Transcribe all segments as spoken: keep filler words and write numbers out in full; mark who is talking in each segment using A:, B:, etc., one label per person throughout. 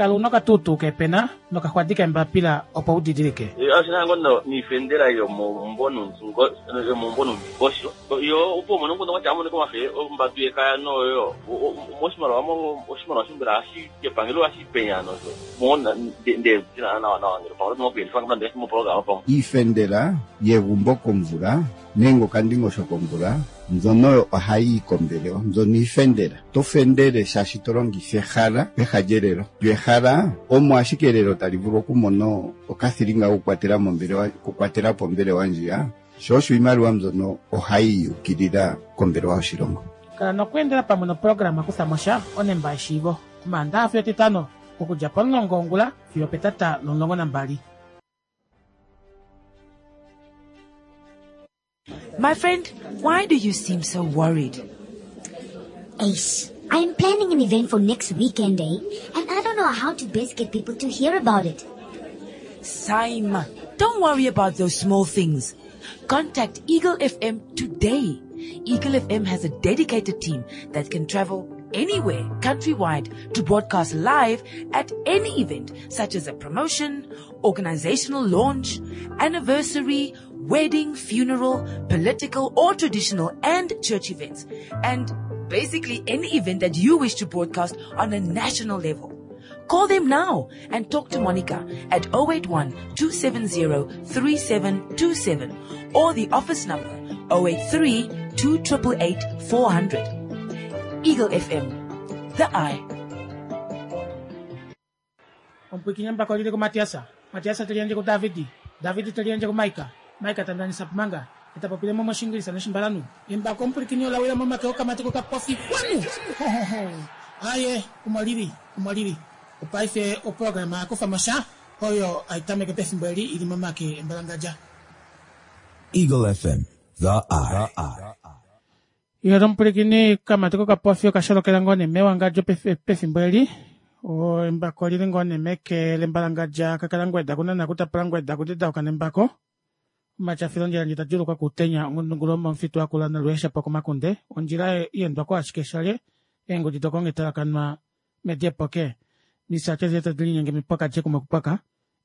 A: Kala una okatuutuu keepena nokaxwadi keembapila opo udidilike.
B: Oshinango niifendela yomomumvo nomumvo yo opo mono ngono wacha amone komafe ombatu yekaya noyo moshimaliwa oshimaliwa shimbela ashi kepangelo ashi penya nozo mona nde tina nawa nawa ngelo pangelo mokuyelifa ngamba mo program pamwe
C: iifendela yegumbo komvula nenge okandingosho komvula mbyono ohayi kombelewa mbyono iifendela to fendele shaashi to longitha ehala peha lyelelo lyo ehala omo ashike elelo tali vulu okumona okathilinga kokukwatela mombelewa kukwatela po ombelewa ndjiya sho osho iimaliwa mbyono ohayi yukilila kombelewa yoshilongo.
A: Kala nokweendela pamwe noprograma kutha mosha onemba yeshiivo omaandaxa fiyo etitano okudja pomulongo wongula fiyo petata lomulongo nambali.
D: My friend, why do you seem so worried?
E: Ace, I'm planning an event for next weekend, eh? And I don't know how to best get people to hear about it.
D: Saima, don't worry about those small things. Contact Eagle F M today. Eagle F M has a dedicated team that can travel anywhere countrywide to broadcast live at any event, such as a promotion, organizational launch, anniversary, wedding, funeral, political or traditional and church events, and basically any event that you wish to broadcast on a national level. Call them now and talk to Monica at oh eight one, two seven zero, three seven two seven or the office number oh eight three, two triple eight, four hundred. Eagle F M, the eye.
A: Omupwikinya mbako lili ku Matiasa. Matiasa teliendje ku Davidi. Davidi teliendje ku Maika. Maika tandanisa pumanga. Etapopile mo moshingilisa noshimbalanu. Embako omupwikinya olawila momake okamatiko kapofi kwanu. Ho, ho, ho. Aye, umwalili, umwalili. Opaife oprograma yakufa mosha oyo aitameke pefimbo eli ili momake embalangadja.
F: Eagle F M, the eye.
A: Iyo omupwilikini kamatiko kapofi okasholokela ngoo nee mewangadjo pefimbo eli. O embako lili ngoo nee meke lembalangadja kakala ngweda kunana kutapula ngweda kudidauka nembako. Omachafilo ondjila ndji tadjuluka kutenya ongundungulo momufitu akula nolweesha po komakunde. Ondjila iendwa ashike shale eengudi dokongetalakanwa mediepoke. Misate zetu dilinyenge mipaka je kumwe kupaka.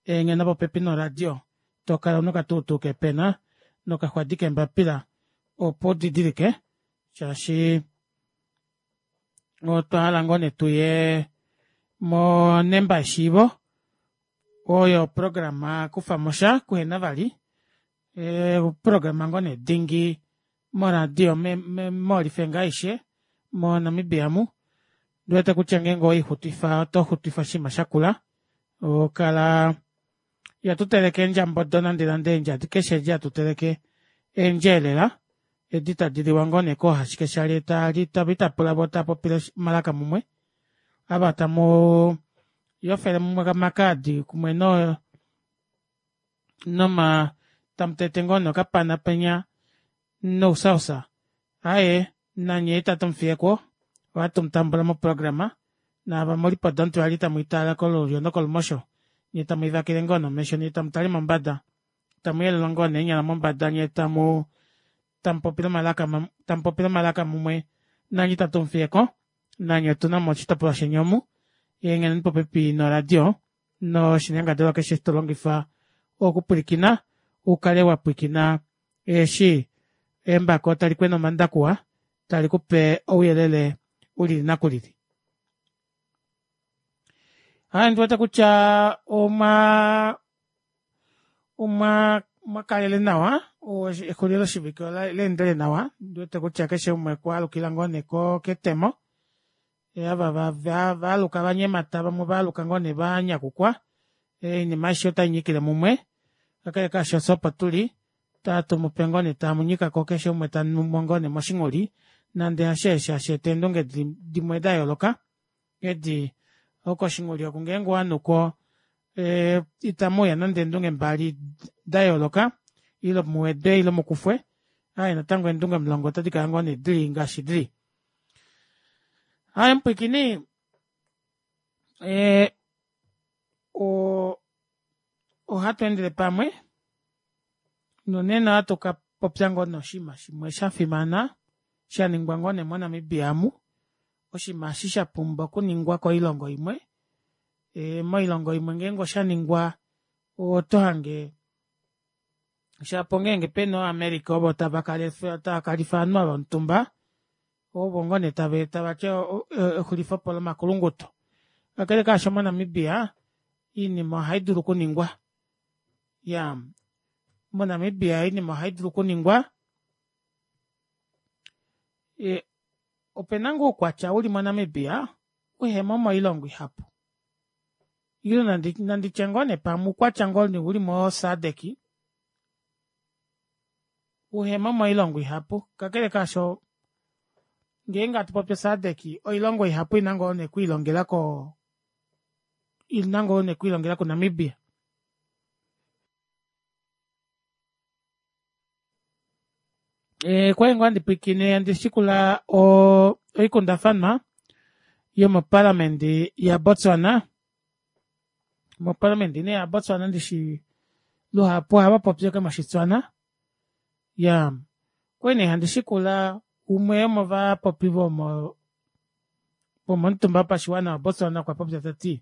A: Eengena popepi noradio. Tokala nokatuutu kepena nokaxwadi kembapila opo didilike shaashi otwa hala ngoo nee tuye monemba yeshiivo oyo programa kufa mosha kuhena vali e, programa ngoo nee dingi moradio molifenga aishe moNamibia mu ndiwete kutya ngeenge oixutifa oto xutifa oshinima shakula okala yatuteleke eendjambodo nande nande eendja keshe edi hatuteleke eendjeelela edi tadi liwa ngoo nee koohashike shali tali tapula vo tapopile malaka mumwe ava tamu yofele mumwe makaadi kumwe no noma tamutete ngoo nee okapana penya nousausa aye nanye itatu mufiyeko ohatu mutambula moprograma naava mulipo dontu tamu itala kolulyo nokolumosho nye tamu ivakile ngoo nomesho nye tamu tali mombada tamu yelula ngoo neenyala mombada nye tamu tamupopile malaka tamupopile malaka mumwe nanye itatu mufiyeko nanye otuna mo oshitopolwa sheni omu yengheneni popepi noradio noshinyangadalwa keshe to longifa okupwilikina ukale wa pwilikina eshi embako tali kwena omandakuwa tali kupe ouyelele ulili nakulili. Aya ndiwete kutya omwa omwa mwakalele nawa exulilo shivike leendele nawa ndiwete kutya keshe umwe kwalukila ngoo nee ketemo ava vaaluka vanyemata vamwe vaaluka ngoo nee vanyakukwa oinima aishe otai nyikile mumwe kakele kaasho fye opo tuli tatumupe ngoo nee tamunyikako keshe umwe tanumo ngoo nee moshinguli nande hasheeshe hasheeta eendunge dimwe da yooloka edi okoshinguli oku ngeenge wanuko itamuuya nande eendunge mbali da yooloka ile muwedwe ile mukufwe aye natango eendunge omulongo otadi kala ngoo nee dili ngaashi dili. Aye mupwilikini e, o ohatu endele pamwe nonena ohatu ka popya ngoo noshinima shimwe sha fimana sha ningwa ngoo nee moNamibia mu oshinima eshi sha pumbwa okuningwa koilongo imwe Moilongo imwe ngeenge oshaningwa otohange shapo ngeenge pena ova america ovo tava kalifa ovanhu ava omutumba ovo ngoo nee tavati exulifepo lomakulunguto kakele kaasho mo namibia oinima ohaidulu okuningwa iyaa mo namibia oinima ohaidulu okuningwa opena ngoo oukwatya uli mo namibia uhemo moilongo ihapu ile nanditye ngoo nee pamwe oukwatya uli mo sadc uhemo moilongo ihapu kakele kaasho ngeenge hatupopi o sadc oilongo ihapu oina ngoo nee okwiilongela koo ina ngoo nee okwiilongela ku namibia. Okwali ngoo handi pwiikine handi shikula oikundafanwa yomoparliament ya botswana moparliament nee ya botswana ndishi luhapu ohavapopi ashike moshi tswana iyaa okwali nee handi shikula umwe womovapopi vomo vomomutumba wopashiwana wa botswana okwa popya tati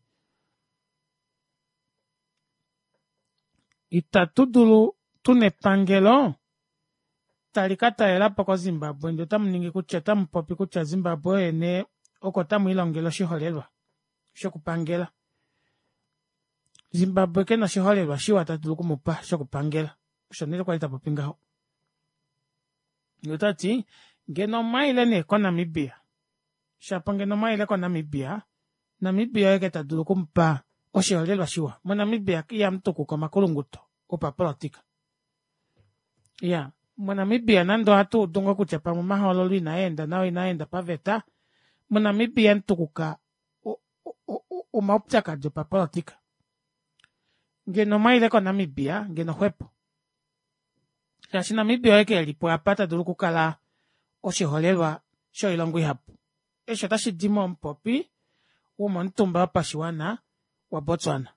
A: ita tudulu tuna epangelo tali katalelapo ko zimbabwe ndee otamuningi kutya otamupopi kutya zimbabwe oye nee oko tamwiilongele oshiholelwa shokupangela zimbabwe kena oshiholelwa shiwa tadulu okumupa shokupangela osho nee kwali tapopi ngaho yee otati ngeno omwaile nee ko namibia shapo ngeno omwaile ko namibia namibia oye ashike tadulu okumupa oshiholelwa shiwa mo namibia ihamutukuka omakulunguto opapolitika iyaa monamibia nande ohatuudu ngoo kutya pamwe omahoololo inaenda nawa inaenda paveta mo namibia ihamutukuka omaupyakadi opapolitika ngeno omwaile ko namibia ngeno xwepo shaashi namibia oye ashike elipo aapa tadulu okukala oshiholelwa shoilongo ihapu eshi otashidi momupopi womomutumba wopashiwana wa botswana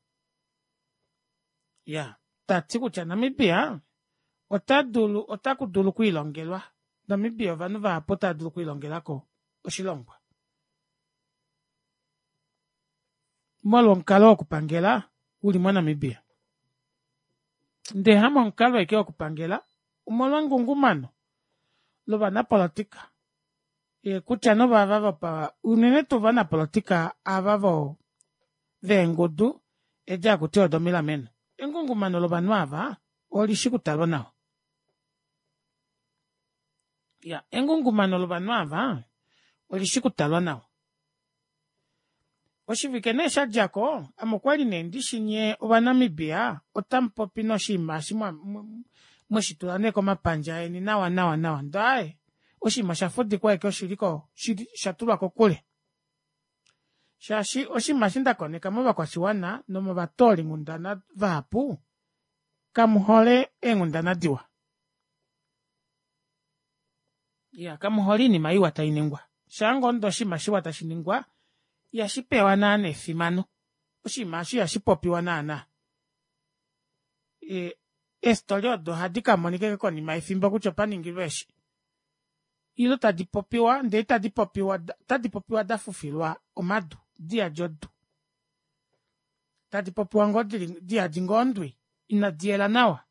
A: iyaa tati kutya namibia otadulu otakudulu okwiilongelwa namibia ovanhu vahapu otava dulu okwiilongelako oshilongwa molwo omukalo wokupangela uli mo namibia ndee hamomukalo ashike wokupangela omolwo engungumano lovanapolitika kutya nee ovava unene tuu ovanapolitika ava voo veengudu edi hakutiwa odomilameno engungumano lovanhu aava olishi okutalwa nawa iyaa engungumano lovanhu aava olishi okutalwa nawa oshivike nee shadjako ame okwali nee ndishi nyee ova namibia otamupopi noshinima eshi mweshitula nee komapandja eni nawa nawa nawa ndee aaye oshinima oshafudikwa ashike oshiliko oshatulwa kokule shaashi oshinima eshi ndakoneka movakwashiwana nomovatoolinghundana vahapu kamuhole eenghundana diwa iya kamuhole oinima iwa tainingwa shaangoo ndee oshinima shiwa tashiningwa ihashipewa naana efimano oshinima aasho ihashipopiwa naana eestory odo ohadi kamonika ashike konima yefimbo kutya opaningilwe eshi ile tadipopiwa ndee ita dipopiwa ota dipopiwa dafufilwa omadu diyadi odu tadipopiwa ngoo diyadi ngoo ondwi inadiyela nawa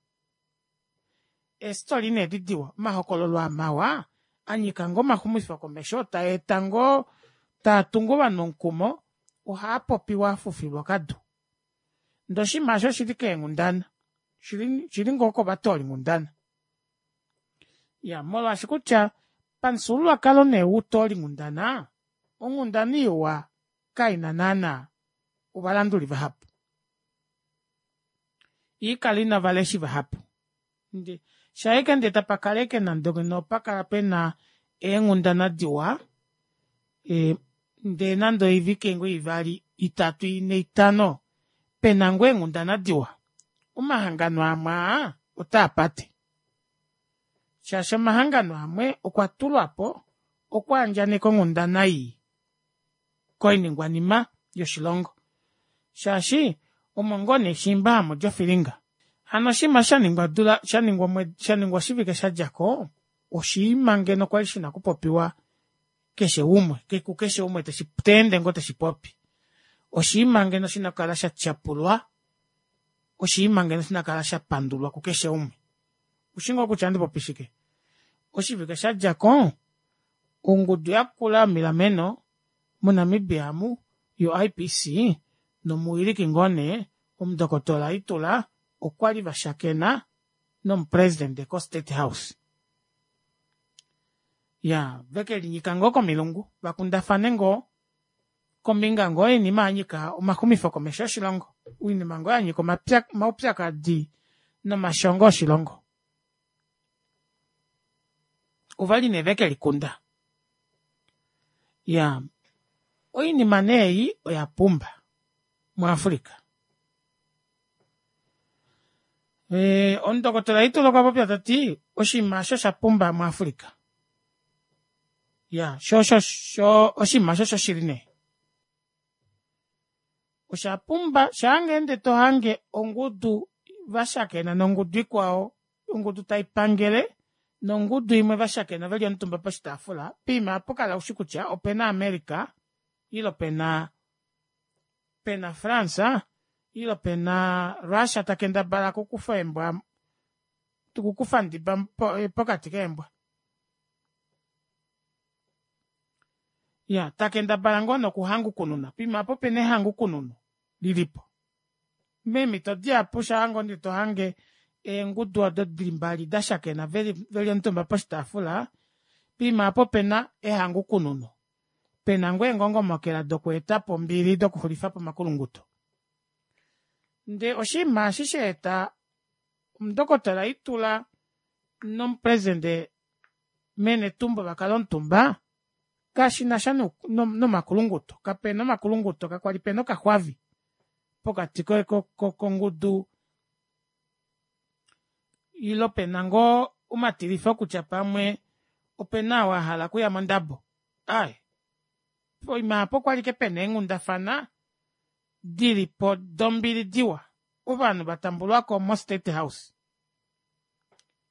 A: eestory nee edi diwa omahokololo aa mawa anyika ngoo omaxumifo komesho taeta ngoo taatungu ovanhu omukumo ohaapopiwa afufilwa okadu ndee oshinima aasho oshili keenghundana oshili ngoo kovatoolinghundana iyaa molwaashi kutya pamufyuululwakalo nee woutolinghundana onghundana iwa kaina naana ovalanduli vahapu ihaikala ina ovaleshi vahapu shaike ndee tapakala ashike nande ngeno opakala pena eenghundana diwa ndee nande oivike ngoo ivali itatu inhe itano pena ngoo eenghundana diwa omahangano amwe aa otaapate shaashi omahangano amwe okwa tulwapo okwaandjaneka onghundana ii koiningwanima yoshilongo shaashi omo ngoo neeshiimba hamudi ofilinga hano oshinima osho shaningwa odula shaningwa oshivike shadjako oshinima ngeno kwali shina okupopiwa keshe umwe kukeshe umwe teende ngoo teshipopi Oshinima ngeno shina okukala sha tyapulwa, oshinima ngeno shina okukala sha pandulwa kukeshe umwe. Oushi ngoo kutya ohandi popi shike? Oshivike shadjako ongudu yakula yomilameno mo Namibia amu yo I P C nomuwiliki ngoo nee omundokotola Itula okwali vashakena nomupresident ko State House. Ya vekelinyika ngoo komilungu vakundafane ngoo kombinga ngoo yoinima yanyika omaxumifo komesho oshilongo, oinima ngoo yanyika omaupyakadi nomashongo oshilongo. Ovali nee vekelikunda. Ya oinima nee ei oya pumba muAfrica. E, omundokotola Itula okwa popya tati oshinima osho sha pumba muAfrica. Ya sho sho sho oshinima osho shoshili nee. Osha pumba shaangeende tohange ongudu vashakena nongudu ikwao, ongudu taipangele nongudu imwe vashakena veli omutumba poshitaafula, poima opo kala ushi kutya opena America ile pena pena France ile pena Russia takendabala okukufa eembwa okukufa ndiba pokati keembwa. Ya takendabala ngoo nokuhangukununa poima aapo opena ehangukununo lilipo. Meemito dihapu shaango nee tohange eengudu odo dili mbali dashakena veli omutumba poshitaafula, poima aapo opena ehangukununo, pena ngoo eengongomokela dokweetapo ombili dokuxulifapo omakulunguto. Ndee oshinima eshi shaeta omundokotola Itula nomupresident mee Netumbo vakale omutumba kashinasha nomakulunguto, kapena omakulunguto, kakwali pena okaxwavi pokati kongudu ile pena ngoo omatilifo kutya pamwe opena ou ahala okuya mondabo, aaye poima aapo okwali ashike pena eenghundafana dilipo dombili diwa ovanhu vatambulwako mo state house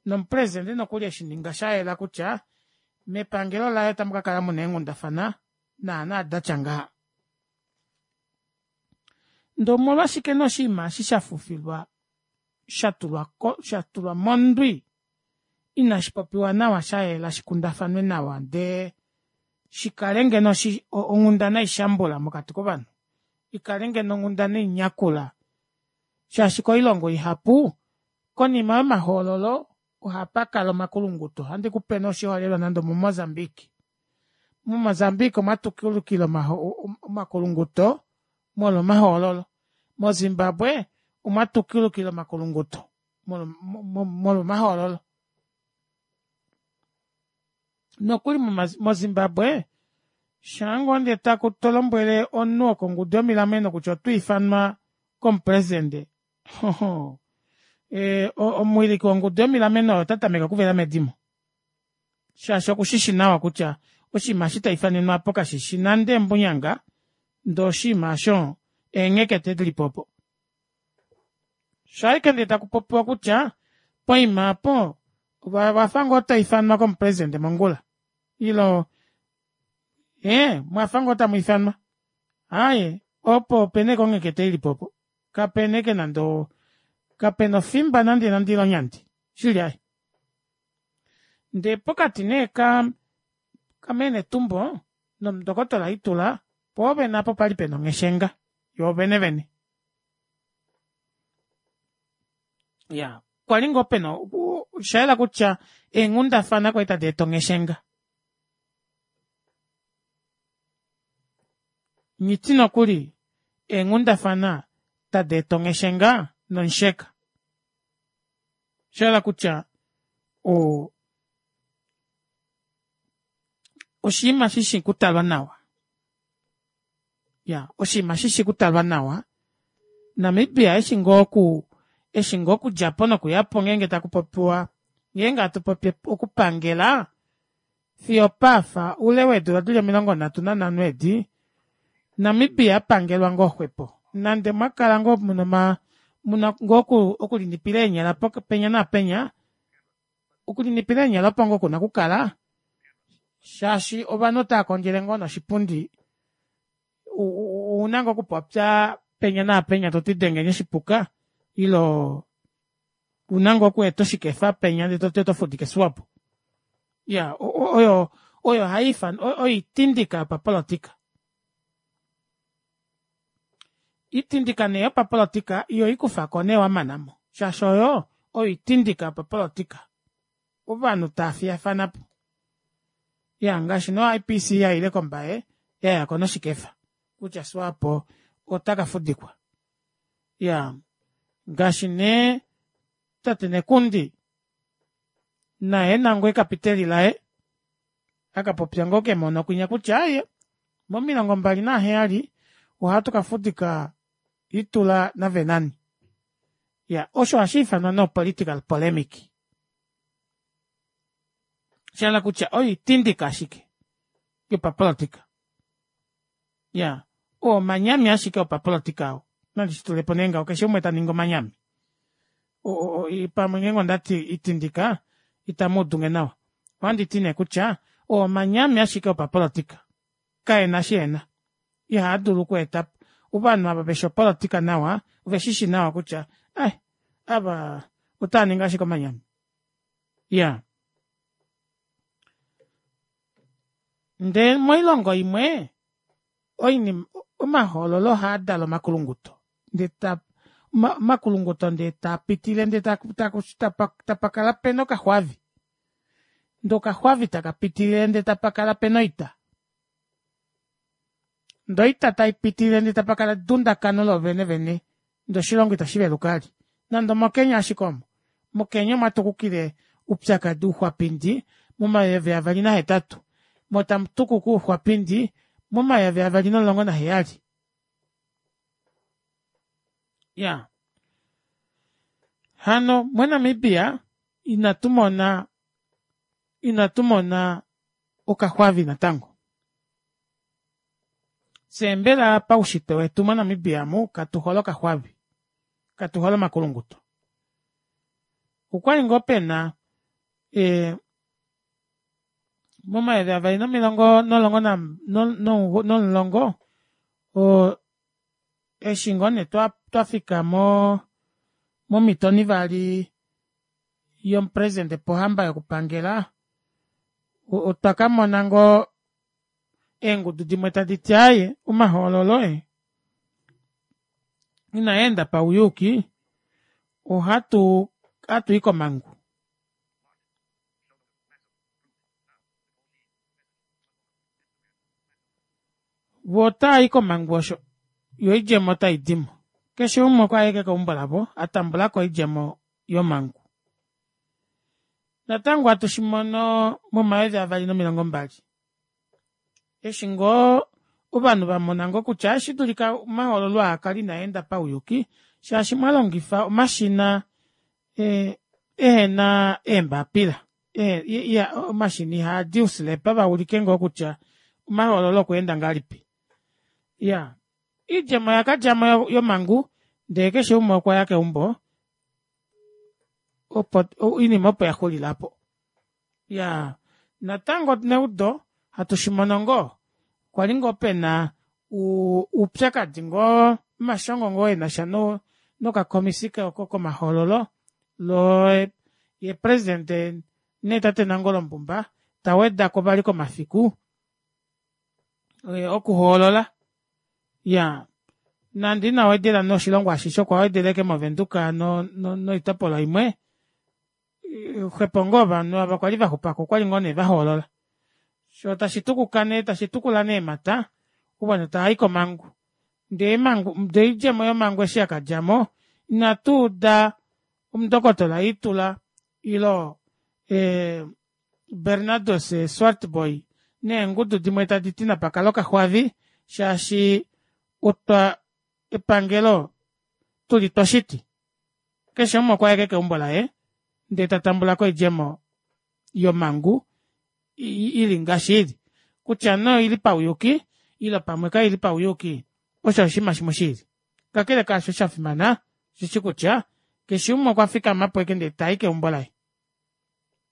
A: nomupresident nokuli eshininga shayela kutya mepangelo laye otamukakala muna eenghundafana naana datya ngaha. Ndee omolwashike nee oshinima eshi shafufilwa shatulwa shatulwa mondwi ina shipopiwa nawa shayela shikundafanwe nawa ndee shikale ngeno onghundana ishambula mokati kovanhu, ikale ngeno onghundana inyakula shaashi koilongo ihapu konima yomahoololo ohapakala omakulunguto. Ohandi kupe nee oshiholelwa nande omo Mozambique. Mo Mozambique omwatukulukila omakulunguto molwa omahoololo. Mo Zimbabwe omwatukulukila omakulunguto molwa omahoololo. Nokuli mo Zimbabwe shaango ndee taku tolombwele omunhu wokongudu yomilameno kutya otwiifanwa komupresident, omuwiliki wongudu yomilameno ota tameke okuvela medimo shaashi okushishi nawa kutya oshinima eshi taifanenwa aapo kashishi nande embunyanga ndee oshinima aasho eenghekete dilipo opo. Shaike ndee takupopiwa kutya poima aapo owafa ngoo toifanwa komupresident mongula ilo ee mwafa ngoo tamwiifanwa aaye opo opena ashike onghekete ilipo opo kapena ashike nande kapena ofimba nande nande ile onyandi shili aaye. Ndee pokati nee ka mee Netumbo nomundokotola Itula poovene aapo opali pena ongheshenga yoovene vene. Ya kwali ngoo pena oshayela kutya eenghundafana kwali tadi eta ongheshenga. Nghiti nokuli eenghundafana tadi eta ongheshenga nomusheka. Oshayela kutya oo oshinima shishi okutalwa nawa. Ya oshinima shishi okutalwa nawa. Namibia eshi ngoo oku eshi ngoo okudjapo nokuyapo ngeenge takupopiwa ngeenge hatupopi okupangela fiyo opaafa oule weedula dili omilongo nhatu nanhano edi Namibia apangelwa ngoo xwepo nande mwakala ngoo muna muna ngoo okulinipila eenyala penya naapenya, okulinipila eenyala opo ngoo kuna okukala shaashi ovanhu otava kondjele ngoo noshipundi Ouna ngoo okupopya penya naapenya toti dengeni oshipuka ile ouna ngoo okweeta oshikefa penya ndee toti oto fudike swapo iyaa oyo oyo haifanwa oitindika yopapolitika oitindika nee yopapolitika ihoikufako nee wamanamo shaashi oyo oitindika yopapolitika ovanhu taafiyafanapo iyaa ngaashi nee o I_P_C yaile kombaye yayako noshikefa kutya swapo otakafudikwa iyaa ngaashi nee tate nekundi naye ena ngoo ekapiteli laye akapopya ngoo kemono kwinya kutya aaye momilongo mbali naheyali ohatu kafudika itula navenani iyaa osho ohashiifanwa nee o political polemic shahala kutya oyo oitindika ashike yopapolitika iyaa oo omanyami ashike opapolitika oo nandi shitulepo nee ngaho keshe umwe taningi omanyami o- o pamwe ngenge ondati oitindika itamuudunge nawa ohanditi nee kutya oo omanyami ashike opapolitika kaena eshi ena ihaadulu okweetapo ovanhu ava veshi opolitika nawa oveshishi nawa kutya ai ava otaaningi ashike omanyami iyaa ndee moilongo imwe oinima omahoololo ohaadala omakulunguto ndee taa omakulunguto ndee taapitilile ndee tapakala pena okaxwavi ndee okaxwavi taka pitilile ndee tapakala pena oita ndee oita taipitilile ndee tapakala edundakano loovene vene ndee oshilongo ita shiveluka vali nande omo kenya ashike omo mo kenya omwatukukile oupyakadi ouxwapindi momayovi avali nahetatu moo tamutukuka ouxwapindi momayovi avali nomulongo naheyali iyaa hano mo namibia ina tumona ina tumona okaxwavi natango fyee mbela paushitwe wetu mo namibia omu katuhole okaxwavi katuhole omakulunguto okwali ngoo pena ee momayovi avali nomilongo nomulongo nomulongo oo eshi ngoo nee twafika moo momito onivali yomupresident pohamba yokupangela otwa kamona ngoo eengudu dimwe taditi aaye omahoololo ee inaenda pauyuuki ohatu ohatui komangu voo otaayi komangu osho yoo oidjemo otaidimo keshe umwe okwaya ashike keumbo lavo atambulako oidjemo yomangu natango hatu shimono momayovi avali nomilongo mbali eshi ngoo ovanhu vamona ngoo kutya otashi dulika omahoololo aa akale inaenda pauyuuki shaashi mwalongifa omashina ee ehena eembapila iya omashina ihaadi ouslepa vaulike ngoo kutya omahoololo okweenda ngahelipi iyaa oidjemo oyakadjamo yomangu ndee keshe umwe okwaya keumbo opo oinima opo yaxulila aapo iyaa natango neudo hatu shimono ngoo kwali ngoo pena oupyakadi ngoo omashongo ngoo enasha nokakomisi komahoololo loo yee president nee tate nangolo mbumba tawedako vali komafiku okuhoolola iyaa nande ina wedela nee oshilongo ashishe okwa wedela ashike mo windhoek noitopolwa imwe xwepo ngoo ovanhu ava kwali vaxupako okwali ngoo nee vahoolola shoo tashi tukuka nee tashi tukula nee eemata ovanhu tavai komangu ndee ndee oidjemo yomangu eshi yakadjamo inatuuda omundokotola iitula ile ee bernadus swartbooi neengudu dimwe taditi napakale okaxwavi shaashi otwa epangelo tuli twoshiti keshe umwe okwaya ashike keumbo laye ndee tatambulako oidjemo yomangu ili ngaashi ili kutya nee oili pauyuuki ile pamwe kaili pauyuuki osho oshinima shimwe shiili kakele kaasho osho shafimana osheshi kutya keshe umwe okwafikamapo ashike ndee tai keumbo laye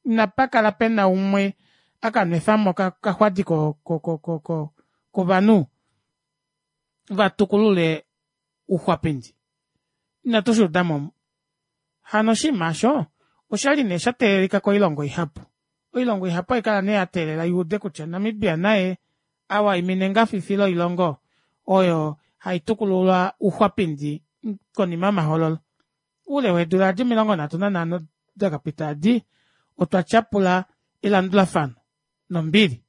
A: inapakala pena umwe akanwefamo okaxwadi ko- ko- ko kovanhu Vatukulule Uxwapindi inatu shuudamo hano oshiima aasho oshali nee shateelelika koilongo ihapu. Oilongo ihapu ohaikala nee yateelela yuude kutya Namibia naye awaimine engafifi loilongo oyo haitukulula Uxwapindi konima yomahoololo. Oule weedula edi omilongo nhatu nanhano dakapita edi otwa tyapula elandulafano nombili.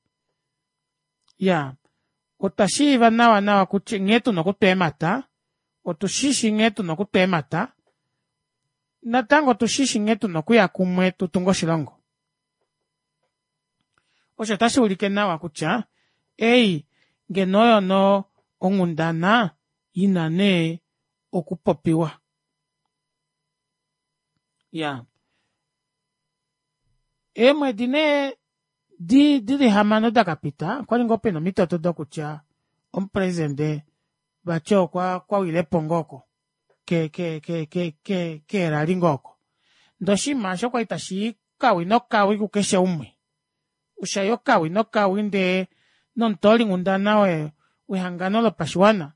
A: Iyaa otwa shiiva nawa nawa kutya nghee tuna okutwa eemata otushishi nghee tuna okutwa eemata natango otushishi nghee tuna okuya kumwe tutunge oshilongo. Osho ota shuulike nawa kutya ei ngeno oyo nee onghundana ina nee okupopiwa. Iyaa eemwedi nee dili hamano dakapita okwali ngoo pena omitoto dokutya omupresident vati okwawilepo ngoo oko ke- ke- ke keerally ngoo oko ndee oshinima aasho okwali tashii okawi nokawi kukeshe umwe oshaya okawi nokawi ndee nomutoolinghundana wehangano lopashiwana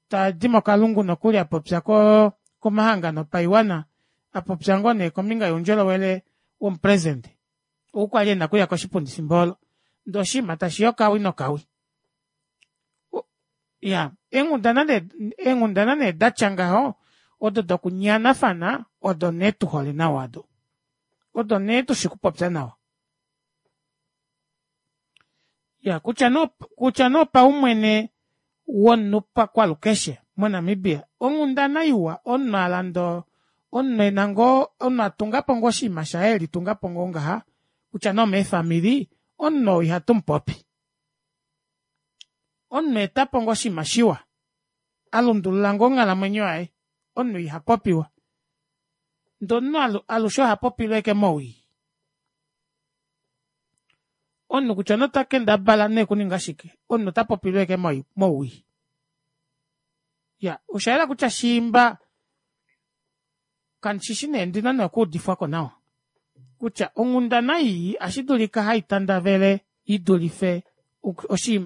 A: tadi mokalungu nokuli apopya koo komahangano opaiwana apopya ngoo nee kombinga youndjolowele womupresident ou kwali ena okuya koshipundi efimbo oolo ndee oshinima tashiyi okawi nokawi. Iyaa eenghundana eenghundana nee datya ngaho odo dokunyanafana odo nee tuhole nawa aado odo nee tushi okupopya nawa. Iyaa kutya nee kutya nee opaumwene womunhu pakwalukeshe mo namibia onghundana iwa omunhu alanda omunhu ena ngoo omunhu atungapo ngoo oshinima shaye elitungapo ngoo ngaha kutya nee omeefamili omunhu oo ihatumupopi. Omunhu aetapo ngoo oshinima shiwa alundulula ngoo onghalamwenyo yaye omunhu ihapopiwa ndee omunhu alushe ohapopilwa ashike mowii. Omunhu kutya nee otakendabala nee okuninga shike omunhu otapopilwa ashike mowii. Iyaa oshayela kutya shiimba kandishishi nee ondina nee okuudifwako nawa kutya onghundana ii ohashidulika haitandavele idulife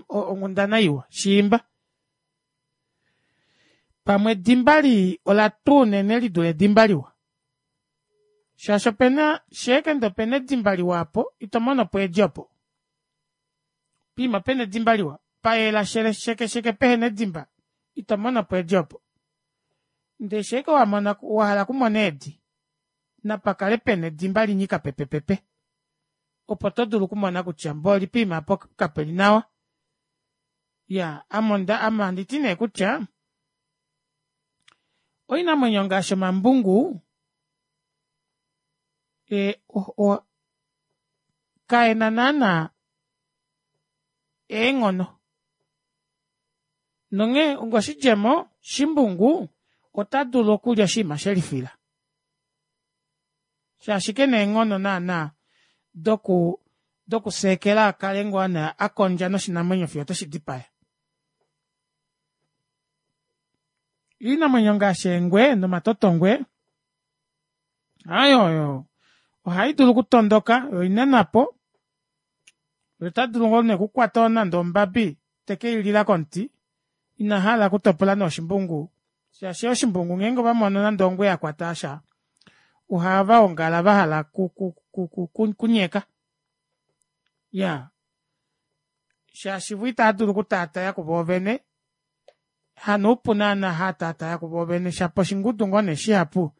A: onghundana iwa shiimba pamwe edimba lii olatwa unene lidule edimba liwa shaashi opena shaike ndee opena edimba liwa aapo itomonopo eedi opo poima pena edimba liwa payela sheke sheke pehena edimba itomonopo eedi opo ndee shaike wahala okumona eedi napakale pena edimba linyika pepepepe opo todulu okumona kutya mboli poima aapa kapeli nawa. Iyaa ame onda ame ohanditi nee kutya oinamwenyo ngaashi omambungu ee o- kaena naana eenghono nonghee onga oshidjemo shimbungu otadulu okulya oshiima shelifila shaashi kena eenghono naana doku doku seekela akale ngoo nee akondja noshinamwenyo fiyo oteshidipaya. Oinamwenyo ngaashi eengwe nomatotongwe aaye oyo ohaidulu okutondoka yoo oina onhapo otadulu ngoo nee okukwata nande ombabi tekeilila komuti inahala okutopola noshimbungu shaashi oshimbungu ngeenge ovamono nande ongwe yakwata sha ohavaongala vahala oku- ku- okunyeka iyaa shaashi voo itaadulu okutataya kuvoovene hanoupu naana haatataya kuvoovene shapo oshingudu ngoo nee shihapu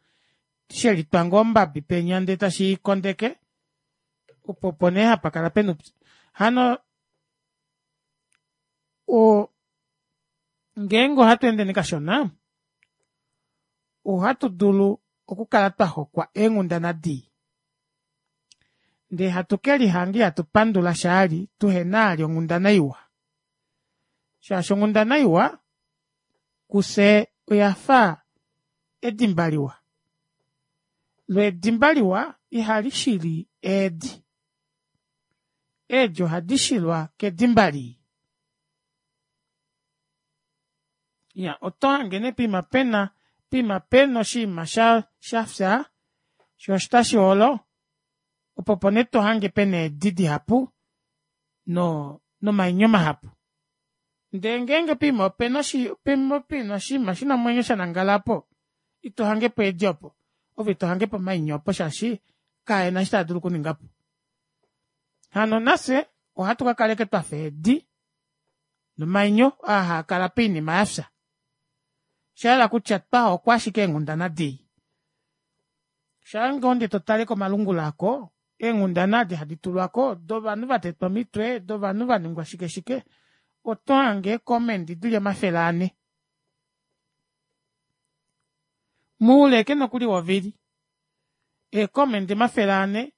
A: shelitwa ngoo ombabi penya ndee tashiikondeke opo opo nee hapakala pena oupyu hano oo ngeenge ohatweendeni kashona ohatu dulu okukala twahokwa eenghundana dii ndee hatu kelihanga ihatu pandula shaali tuhena vali onghundana iwa shaashi onghundana iwa kufye oyafa edimba liwa loo edimba liwa ihalishili eedi, eedi ohadishilwa kedimba lii. Iyaa otohange nee poima pena poima pena oshiima shafya shoo otashiolo opo opo nee tohange pena eedi dihapu nomainyo mahapu. Ndee ngeenge poima opena oshi pena oshinima shina omwenyo shanangala aapo ito hangepo eedi opo ove ito hangepo omainyo opo shaashi kaena eshi taadulu okuningapo. Hano nafye ohatu kakala ashike twafa eedi nomainyo oo haakala poinima yafya oshahala kutya twahokwa ashike eenghundana dii. Shaangoo ndee totale komalungula aako eenghundana edi hadi tulwako dovanhu vatetwa omitwe dovanhu vaningwa shike shike otohange ee comment dili omafele anhe moule ashike nokuli wovili ee comment omafele anhe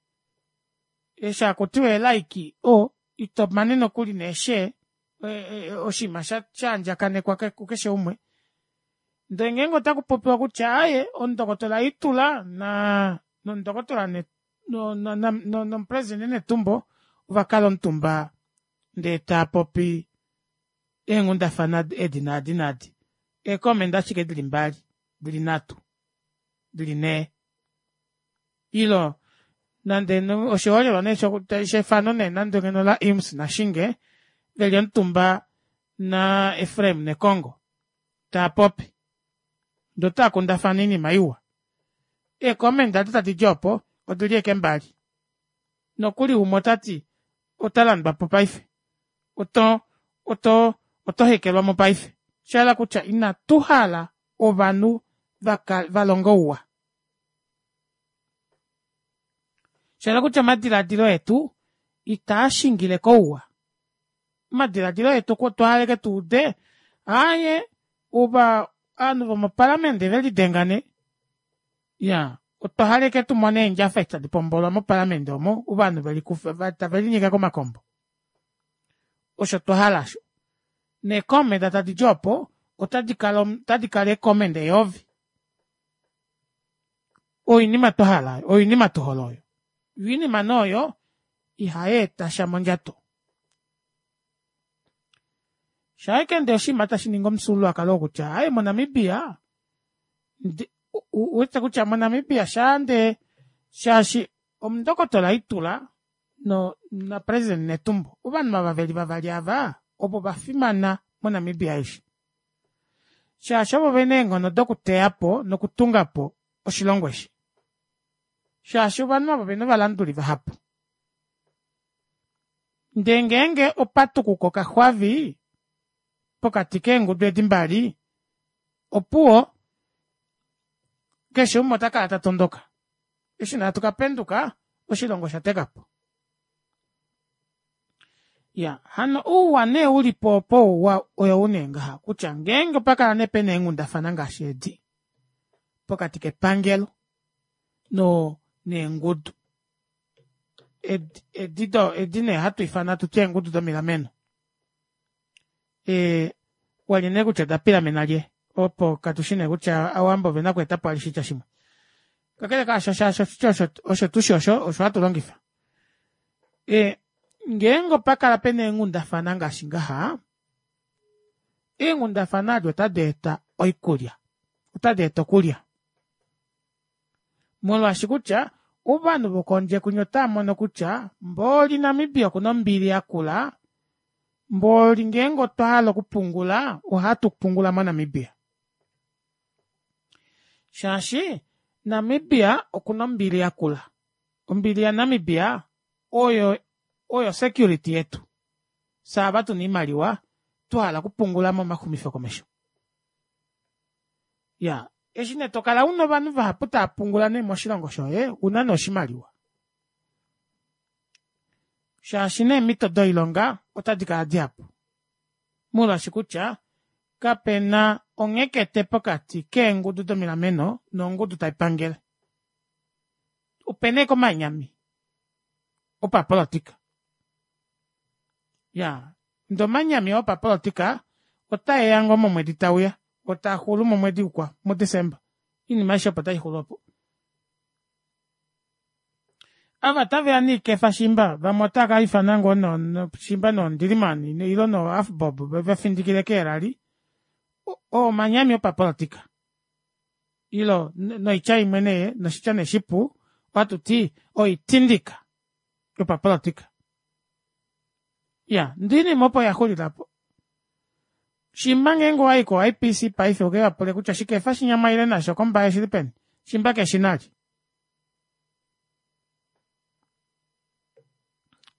A: eshi hakutiwa ee like oo itomane nokuli nee share oshinima shaandjakanekwa kukeshe umwe ndee ngeenge otakupopiwa kutya aaye omundokotola itula naa nomundokotola nomupresident netumbo ovakala omutumba ndee taapopi eenghundafana edi naadi naadi ee comment ashike dili mbali dili nhatu dili nhee ile nande oshiholelwa nee shefano nee nande ngeno la imms nashinge veli omutumba na efraim nekongo taapopi ndee otaakundafana oinima iwa ee comment adi tadidi oopo odili ashike mbali nokuli umwe otati otalandwapo paife oto oto oto hekelwamo paife oshahala kutya ina tuhala ovanhu valonge ouwa shahala kutya omadilaadilo etu itaashingile kouwa omadilaadilo etu otwa hala ashike tuude aaye ovanhu vomopalamende ovelidenga nee iyaa otwa hala ashike tumone eendjafa eshi tadi pombolwa mopalamende omo ovanhu velikufa tavelinyeke komakombo osho twahala aasho nee comment tadidi oopo otadikala ee comment eyovi oyo oinima twahala oyo oinima tuhole oyo yoo oinima nee oyo ihayeetasha mondjato shaashike ndee oshinima tashiningi omufyuululwakalo oo kutya aaye mo namibia ouwete kutya mo namibia shaande shaashi omundokotola itula no na president netumbo ovanhu ava veli vavali aava ovo vafimana mo namibia aishe shaashi ovo vena eenghono dokuteyapo nokutungapo oshilongo eshi shaashi ovanhu aava ovena ovalanduli vahapu ndee ngeenge opatukuka okaxwavi pokati keengudu edi mbali opuwo keshe umwe otakala tatondoka eshi nee hatu kapenduka oshilongo oshatekapo iyaa hano ouwa nee ulipo opo oyou nee ngaha kutya ngeenge opakala nee pena eenghundafana ngaashi edi pokati kepangelo noo neengudu edi edi nee hatu ifana hatuti eengudu domilameno ee walye nee kutya oda pilamena lye opo katushi nee kutya owambo ovena okweetapo vali oshitya shimwe kakele kaasho shaashi oshitya osho tushi osho osho hatu longifa ee ngeenge opakala pena eenghundafana ngaashi ngaha eenghundafana aadi ota deeta oikulya ota deeta okulya molwaashi kutya ovanhu vokondje kwinya otaamono kutya mboli namibia okuna ombili yakula mboli ngeenge otwahala okupungula ohatu pungula mo namibia shaashi namibia okuna ombili yakula ombili ya namibia oyo oyo security yetu fyee ava tuna oimaliwa twahala okupungula momaxumifo komesho iyaa eshi nee tokala una ovanhu vahapu taapungula nee moshilongo shoye ouna nee oshimaliwa shaashi neemito doilonga ota dikala dihapu molwaashi kutya kapena onghekete pokati keengudu domilameno nongudu taipangele opena ashike omanyami opapolitika iyaa ndee omanyami oo opapolitika otaeya ngoo momwedi tauya oo taaxulu momwedi ukwao mu december oinima aishe opo taixulu opo ava otaveya noikefa shiimba vamwe otaakaifana ngoo shiimba noo ndilimani ile noo avbob vevafindikile kee rally oo omanyami opapolitika ile noitya imwe nee noshitya nee shipu ohatuti oitindika yopapolitika iyaa ndee oinima opo yaxulile aapo Shimba ngeenge owayi ko I P C paife uke vapule kutya shikefa shinya ile nasho kombaye shili peni. Shimba keshinali.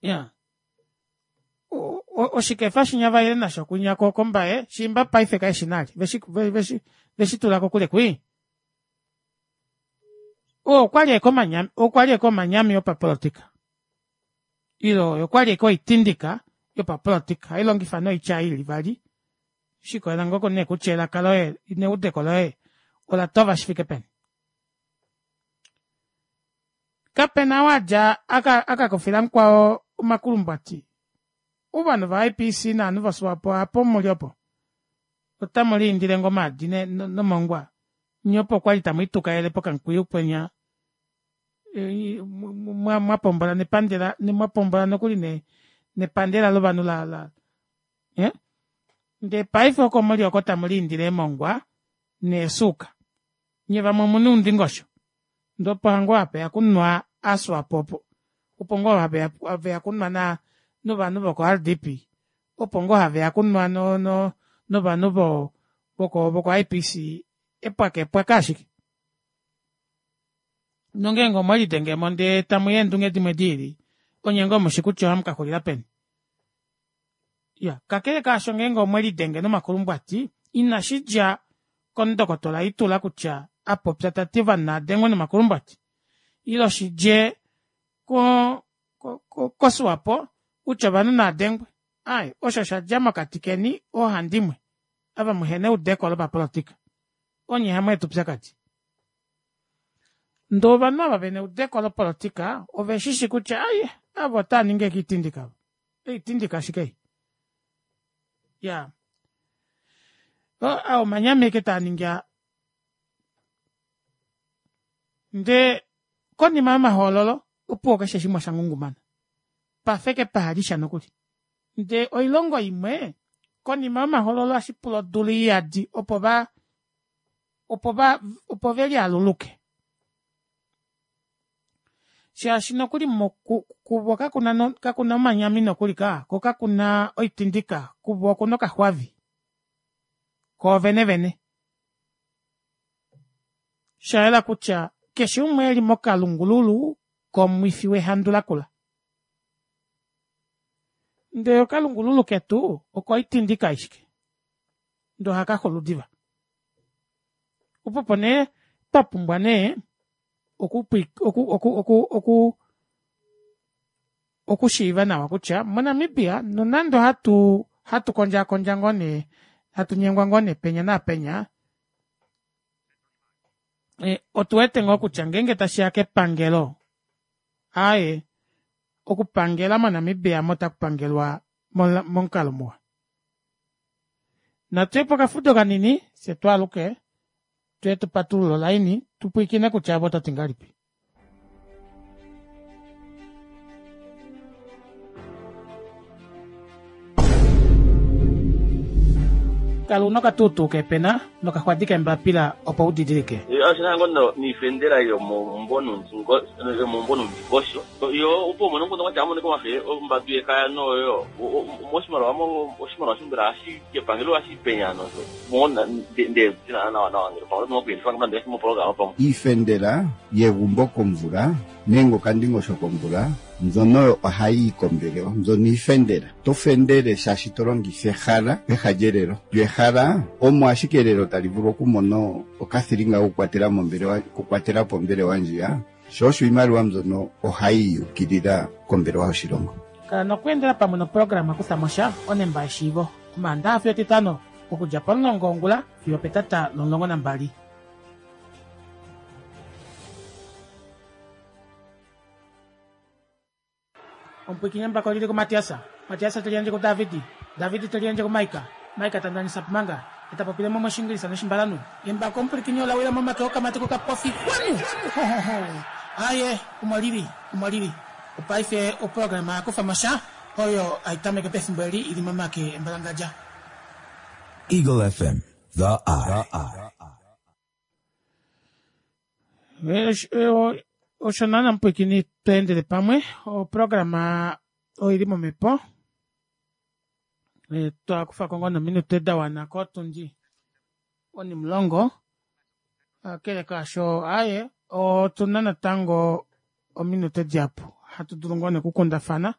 A: Ya. Oshikefa shinya vaile nasho kunya ko kombaye shimba paife keshinali. Veshi veshi veshi tula kokule kui. Okwali eko okwali eko omanyami yopapolitika. Ilo okwali eko oitindika yopapolitika. Hailongifa noitya ili vali. Shikolela ngoko nee kutya elaka loye neudeko loye ola tova shifike peni. Kapena wadja aka akakufila mukwao omakulumbwati. Ovanhu va I P C naanhu voSwapo apo muli opo. Otamu liindile ngomaadi nomongwa. Nye opo kwali tamu itukaele pokamukwiyu pwenya. Mwapombola nepandela, mwapombola nokuli ne nepandela lovanhu la la. Eh? Ndee paife oko muli oko tamu liindile mongwa neesuuka. Nye vamwe omuna oundingosho. Ndee opo hango hapeya kunwa aSwapo opo. Opo ngoo haveya kunwa na novanhu voko R D P. Opo ngoo haveya kunwa no no novanhu vo voko voko I P C epwaka epwaka ashike. Nongeenge omwelidengemo ndee tamu eendunge dimwe diili, onye ngoo mushi kutya ohamu kaxulila peni. Ya, kakele kaasho ngeenge omwelidenge nomakulumbwati, inashi dja komundokotola Itula kutya apopya tati ovanhu naadengwe nomakulumbwati. Ilo shidje ko ko koSwapo kutya ovanhu naadengwe. Ai, osho shadja mokati keni oohandimwe ava muhena eudeko lopapolitika. Onye hamweeta upyakadi. Ndee ovanhu ava vena eudeko lopolitika oveshishi kutya ai ava otava ningi ekiitindika. Eitindika ashike ei. Ya. O omanyami eke taa ningi aa. Ndee konima yomahoololo opuwo keshe shimwe osha ngungumana. Pafeke pahalisha nokuli. Ndee oilongo imwe konima yomahoololo ohashi pula odula iyadi opo va opo va opo velialuluke. Shaashi nokuli kuvo kakuna kakuna omanyami nokuli ka ko kakuna oitindika kuvo okuna okaxwavi koovene vene. Shayela kutya keshe umwe eli mokalungululu komwifi wehandu lakula. Ndee okalungululu ketu oko itindika ashike. Ndee ohakaxulu diva. Opo nee twapumbwa nee oku oku oku oku oku okushiiva nawa kutya moNamibia nonande hatu hatu kondja kondja ngoo nee hatu nyengwa ngoo nee penya naapenya e, otu wete ngoo kutya ngeenge tashiya kepangelo aaye okupangela moNamibia motakupangelwa momukalo muwa. Natuyepo okafudo kanini fye twaaluke tuye tupatulule olaini tupwiikine kutya avo otati ngahelipi. Kala una okatuutuu kepena nokaxwadi kembapila opo udidilike.
B: Osho ngono niifendela yomomumbo nomundingosho. Yo opo umone ngono kwatya amoneka omafele ombadu yekaya noyo moshimaliwa oshimaliwa shimbela hashi kepangelo hashi penya nosho mona nde nawa nawa ngele pamwe nokuyelifa nande moprograma pamwe.
C: Iifendela yegumbo komvula nenge okandingosho komvula mbyono ohayi kombelewa mbyono iifendela. To fendele shaashi to longitha ehala peha lyelelo. Lyo ehala omo ashike elelo tali vulu okumona okathilinga kokukwatela mombelewa kukwatela pombelewa ndjiya. Sho osho iimaliwa mbyono ohayi yukilila kombelewa yoshilongo.
A: Kala nokweendela pamwe noprograma Kutha Mosha onemba yeshiivo Omaandaxa fiyo Etitano okudja pomulongo wongula fiyo petata lomulongo nambali. Omupwikinye mbako lili kuMatiasa. Matiasa teliendje kuDavidi. Davidi teliendje kuMaika. Maika tandanisa pumanga. Etapopile mo moshingilisa noshimbalanu. Embako omupwikinye olawila momake okamati kokapofi. Wanu! Aye, umolili, umolili. Opaife oprograma Kufa Mosha oyo aitameke pefimbo eli ili momake embalangadja.
F: Eagle F M, the eye.
A: Osho naana mupwikini tweendele pamwe oprograma oili momepo. E, twakufako ngoo nominute dawana kotundi onimulongo kakele kaasho aaye otuna natango ominute dihapu hatu dulu ngoo nee okukundafana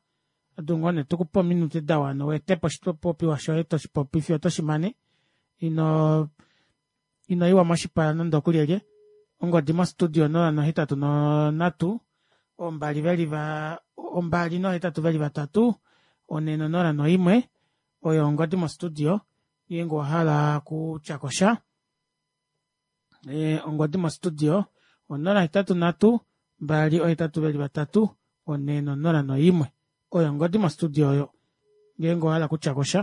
A: hatudulu ngoo nee tukupe ominute dawana weetepo oshipopiwa shoye toshipopi fiyo otoshimane ino inoiwa moshipala nande okulyelye ongodi mo studio onola nohetatu nonhatu ombali veli va ombali nohetatu veli vatatu onhe nonola noimwe oyo ongodi mo studio ngeenge owahala okutyakosha ongodi mo studio onola hetatu nhatu mbali ohetatu veli vatatu onhe nonola noimwe oyo ongodi mo studio oyo ngeenge owahala okutyakosha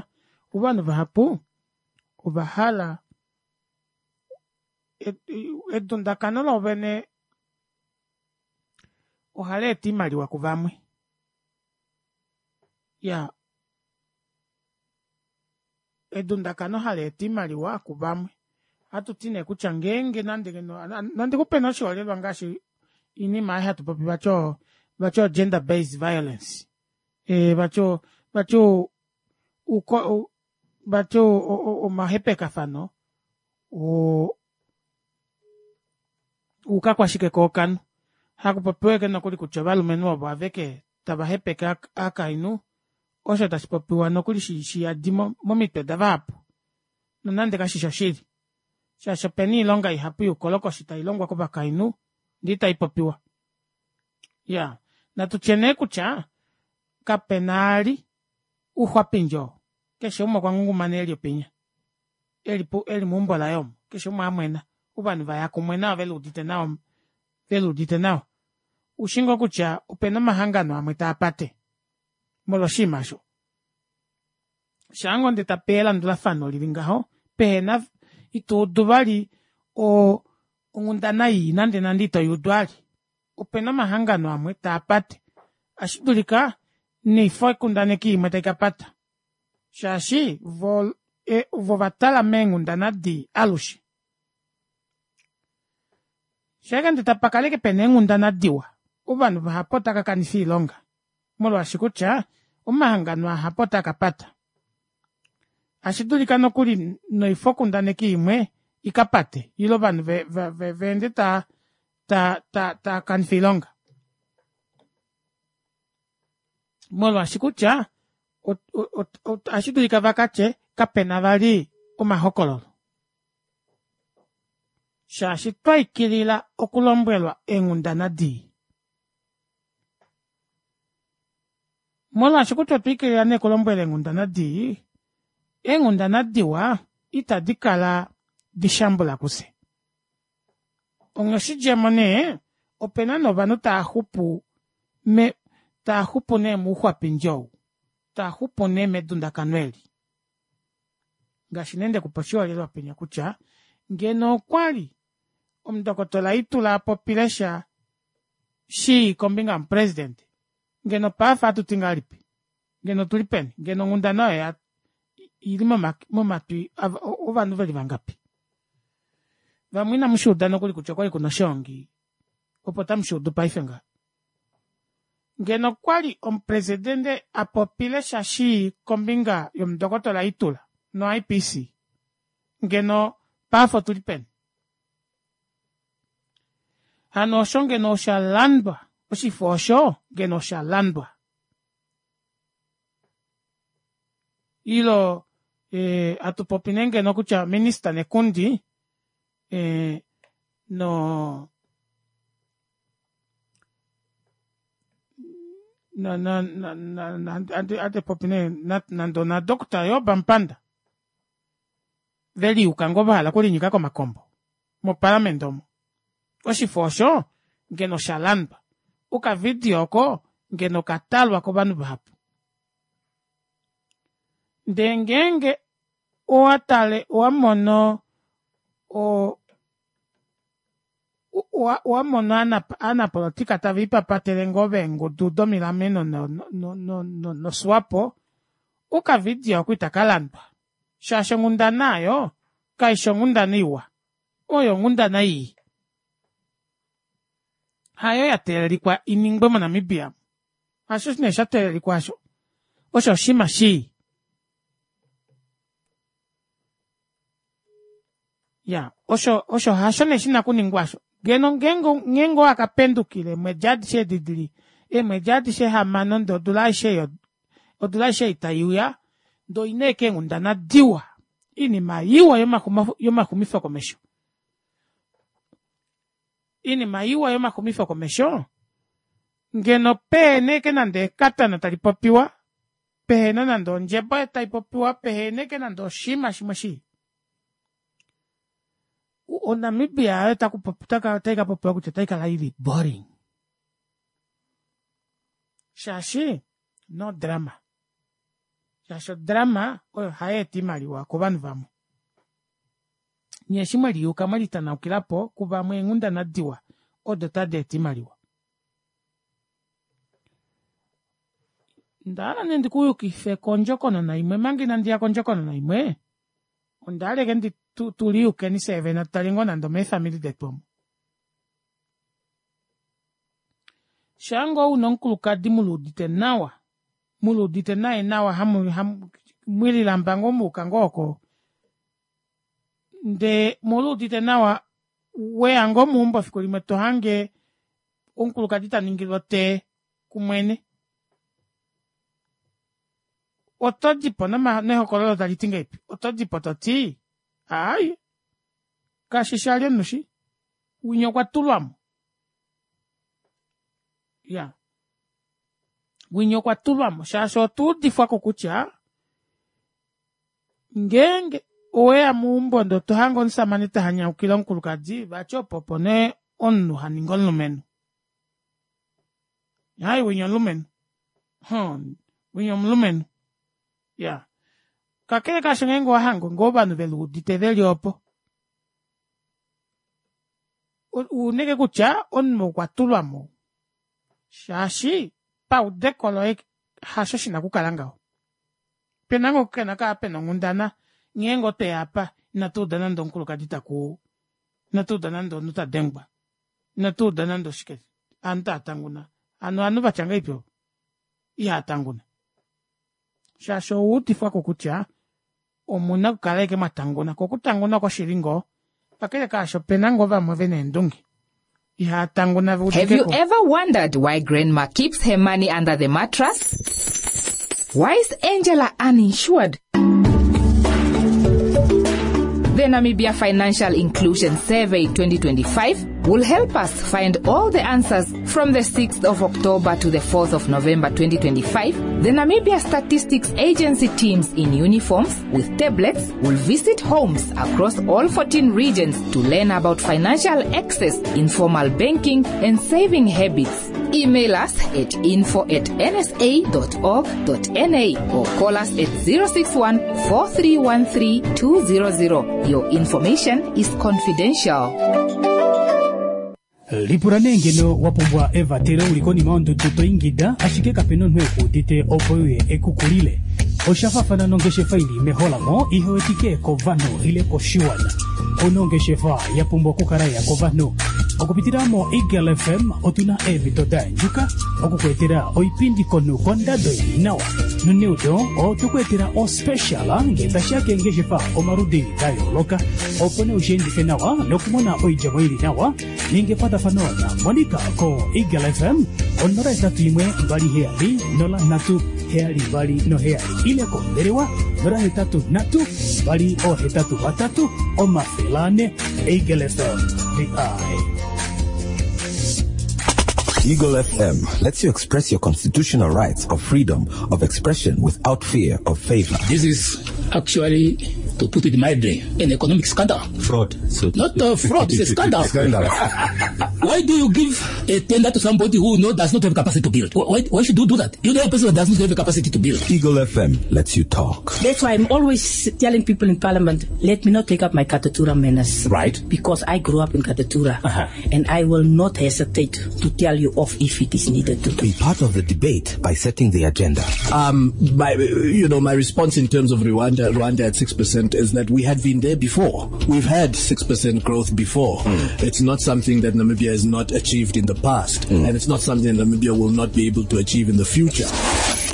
A: ovanhu vahapu ovahala edundakano loovene ohaleeta oimaliwa kuvamwe iyaa edundakano haleeta oimaliwa kuvamwe ohatuti nee kutya ngeenge nande ngeno nandikupe nee oshiholelwa ngaashi oinima ei hatupopi vati oo vati o gender based violence ee vati vati vati omahepekafano oo oukakwashike kookanhu hakupopiwa ashike nokuli kutya ovalumenhu ovo aveke tava hepeke aakainhu osho tashi popiwa nokuli shiyadi momitwe davahapu nonande kashishi oshili shaashi opena oilonga ihapu youkolokoshi tailongwa kovakainhu ndee itaipopiwa iyaa natutye nee kutya kapena ali uxwapindi oo keshe umwe okwangungumana eli opinya eli meumbo laye omo keshe umwe amwena ovanhu vaya kumwe nawa veluudite nawa veluudite nawa ushingoo kutya opena omahangano amwe taapate molwo oshinima aasho shaangoo ndee tapeya elandulafano lili ngaho pehena ituudu vali oo onghundana ii nande nande itoyuudu vali opena omahangano amwe taapate ohashidulika noifokundaneki imwe taikapata shaashi voo ovatala meenghundana dii alushe shaike ndee tapakala ashike pena eenghundana diwa ovanhu vahapu otava kakanifa oilonga molwaashi kutya omahangano ahapu otaakapata ashidulika nokuli noifokundaneki imwe ikapate ile ovanhu veende taa ta taakanifa oilonga molwaashi kutya ohashidulika vakatye kapena vali omahokololo shaashi twaikilila okulombwelwa eenghundana dii molwaashi kutya otwa ikilila nee okulombwelwa eenghundana dii eenghundana diwa ita dikala dishambula kufye onghee oshidjemo nee opena nee ovanhu taaxupu taaxupu nee mouxwapindi ou taaxupu nee medundakano eli ngaashi nee ndekupa oshiholelwa penya kutya ngeno okwali omundokotola itula apopilesha shii kombinga yomupresident ngeno paife ohatuti ngahelipi ngeno otuli peni ngeno onghundana oyo oili momatwi ovanhu veli vangapi vamwe inamushuuda nokuli kutya okwali kuna oshoongi opo tamushuudu paife ngaha ngeno okwali omupresident apopilesha shii kombinga yomundokotola itula no I_P_C ngeno paife otuli peni hano osho ngeno oshalandwa oshifo osho ngeno oshalandwa ile hatupopi nee ngeno kutya minister nekundi noo ohatupopi nee nande ona doctor job amupanda veliyuka ngoo vahala okulinyika komakombo moparliament omo oshifo osho ngeno oshalandwa okavidio oko ngeno okatalwa kovanhu vahapu ndee ngeenge owatale owamono oo owamono ovanapolitika tavipapatele ngoo veengudu domilameno no swapo okavidio aako itakalandwa shaashi onghundana aayo kaifi onghundana iwa oyo onghundana ii hayo yateelelikwa iningwe mo namibia amu hasho nee shateelelikwa aasho osho oshinima shii Ya, osho osho hasho nee shina kuningwa osho. Ngeno ngeenge owakapendukile eemwedi adishe edi dili eemwedi adishe hamano ndee odula aishe odula aishe ei taiuya ndee oina ashike eenghundana diwa oinima iwa yomaxumifo komesho oinima iwa yomaxumifo komesho ngeno pehena ashike nande ekatana talipopiwa pehena nande ondjebo taipopiwa pehena ashike nande oshinima shimwe shii o namibia aayo otaikapopiwa kutya otaikala ili boring shaashi no drama shaashi odrama oyo hayeeta oimaliwa kovanhu vamwe nyee eshi mweliyuka mwelitanaukilapo kuvamwe eenghundana diwa odo tadeeta oimaliwa ondahala nee ndikuyukife kondjokonona imwe omanga inandiya kondjokonona imwe ondahala ashike tuliyukeni fyee tutale ngoo nande omeefamili detu omu shaangoo una omukulukadi muluudite nawa muluudite naye nawa hamu mwelilamba ngoo muyuka ngoo oko ndee muluudite nawa weya ngoo meumbo efiku limwe tohange omukulukadi taningilwa otee kumwene otodipo nehokololo taliti ngahelipi otodipo toti aaye kashishi vali omunhu shi winya okwa tulwamo iyaa winya okwa tulwamo shaashi otwa udifwako kutya ngeenge oweya meumbo ndee tohange omushamane tahanyaukile omukulukadi vati opo opo nee omunhu haningi omulumenhu aaye winya omulumenhu mhoo winya omulumenhu iyaa kakele kaasho ngeenge owahange ngoo ovanhu veluudite veli oopo ouna ashike kutya omunhu okwa tulwamo shaashi paudeko loye hasho shina okukala ngaho opena ngoo okukala pena onghundana ngeenge otweya aapa inatuuda nande omukulukadi takuu inatuuda nande omunhu tadengwa inatuuda nande oshike ovanhu taatanguna hano ovanhu vatya ngahelipi ovo ihaatanguna shaashi owaudifwako kutya omuna okukala ashike mwatanguna koo okutanguna oko shili ngoo kakele kaasho opena ngoo vamwe vena eendunge ihaatanguna
G: Have you ever wondered why grandma keeps her money under the mattress? Why is Angela uninsured? The Namibia Financial Inclusion Survey twenty twenty-five will help us find all the answers from the sixth of October to the fourth of November twenty twenty-five. The Namibia Statistics Agency teams in uniforms with tablets will visit homes across all fourteen regions to learn about financial access, informal banking and saving habits. Email us at info at n s a dot org dot n a or call us at zero six one, four three one three, two zero zero. Your information is confidential.
H: Lipula nee ngeno wa pumbwa evatelo uli konima yondudu to ingida ashike kapena omunhu ekuudite opo uye ekukulile. Osha faafana nongeshefa ili meholamo ihewetike kovanhu ile koshiwana. Ouna ongeshefa ya pumbwa okukala ya kovanhu. Okupitila mo Eagle F M otuna eemhito da yandjuka okukweetela oipindi komunhu kondado ili nawa. Noneudo otukuetela o special nge tashiya keengeshefa omaludi da yooloka opo nee ushiendife nawa nokumona oidjemo ili nawa. Ninga ekwatafano na Monica ko Eagle F M onola hetatu imwe mbali heyali nola nhatu heyali mbali noheyali ile kombelewa nola hetatu nhatu mbali ohetatu vatatu omafele ane. Eagle F M, the eye.
F: Eagle F M lets you express your constitutional rights of freedom of expression without fear of favor.
I: This is actually, to put it mildly, an economic scandal.
F: Fraud. So
I: Not a fraud, it's a scandal.
F: Scandal.
I: Why do you give a tender to somebody who no, does not have capacity to build? Why, why should you do that? You know a person that does not have the capacity to build.
F: Eagle F M lets you talk.
J: That's why I'm always telling people in Parliament, let me not take up my Katutura manners.
F: Right.
J: Because I grew up in Katutura.
F: Uh-huh.
J: And I will not hesitate to tell you off if it is needed to.
F: Be part of the debate by setting the agenda.
K: Um, my, you know, my response in terms of Rwanda, Rwanda at six percent percent is that we had been there before. We've had six percent growth before. Mm. It's not something that Namibia has not achieved in the past, mm. and it's not something that Namibia will not be able to achieve in the future.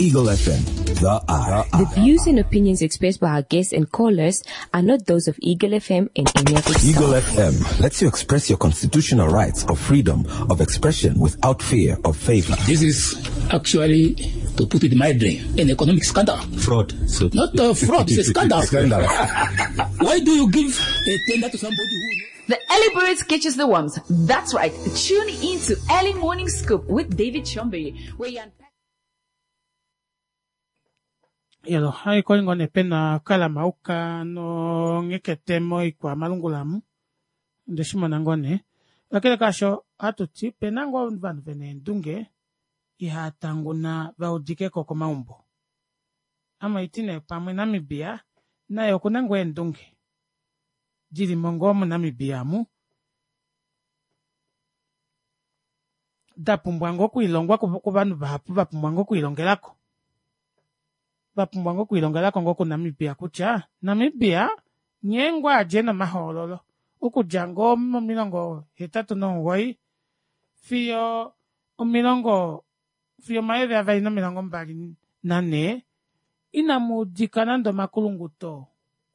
F: Eagle F M, the eye.
L: The views and opinions expressed by our guests and callers are not those of Eagle F M and any of its
F: Eagle
L: staff.
F: F M lets you express your constitutional rights of freedom of expression without fear of favor.
I: This is actually, to put it mildly, an economic scandal.
F: Fraud. So
I: Not a fraud, it's a scandal.
F: Scandal.
I: Why do you give a tender to somebody who...
D: The Early Birds catches the worms. That's right. Tune in to Early Morning Scoop with David Chombe, where you unpack...
A: Yelo, hai kolingo ne pena kalamauka no ngeketemo ikwa malungulamu. Ndeshimona ngone. Lakini kasho hatuti pena ngo vanhu vene endunge ihatanguna vaudikeko komaumbo. Ama itine pamwe Namibia naye okuna ngo endunge. Jili mongo mu Namibia mu. Dapumbwa ngo kuilongwa ku vanhu vahapu vapumbwa ngo kuilongelako. Vapumbwa ngo kuilongelako ngo ku Namibia kutya Namibia nyengwa aje no mahololo. Okudja ngo momilongo hetatu nomugoyi fiyo omilongo fiyo mayovi avali nomilongo mbali nane inamudika nande omakulunguto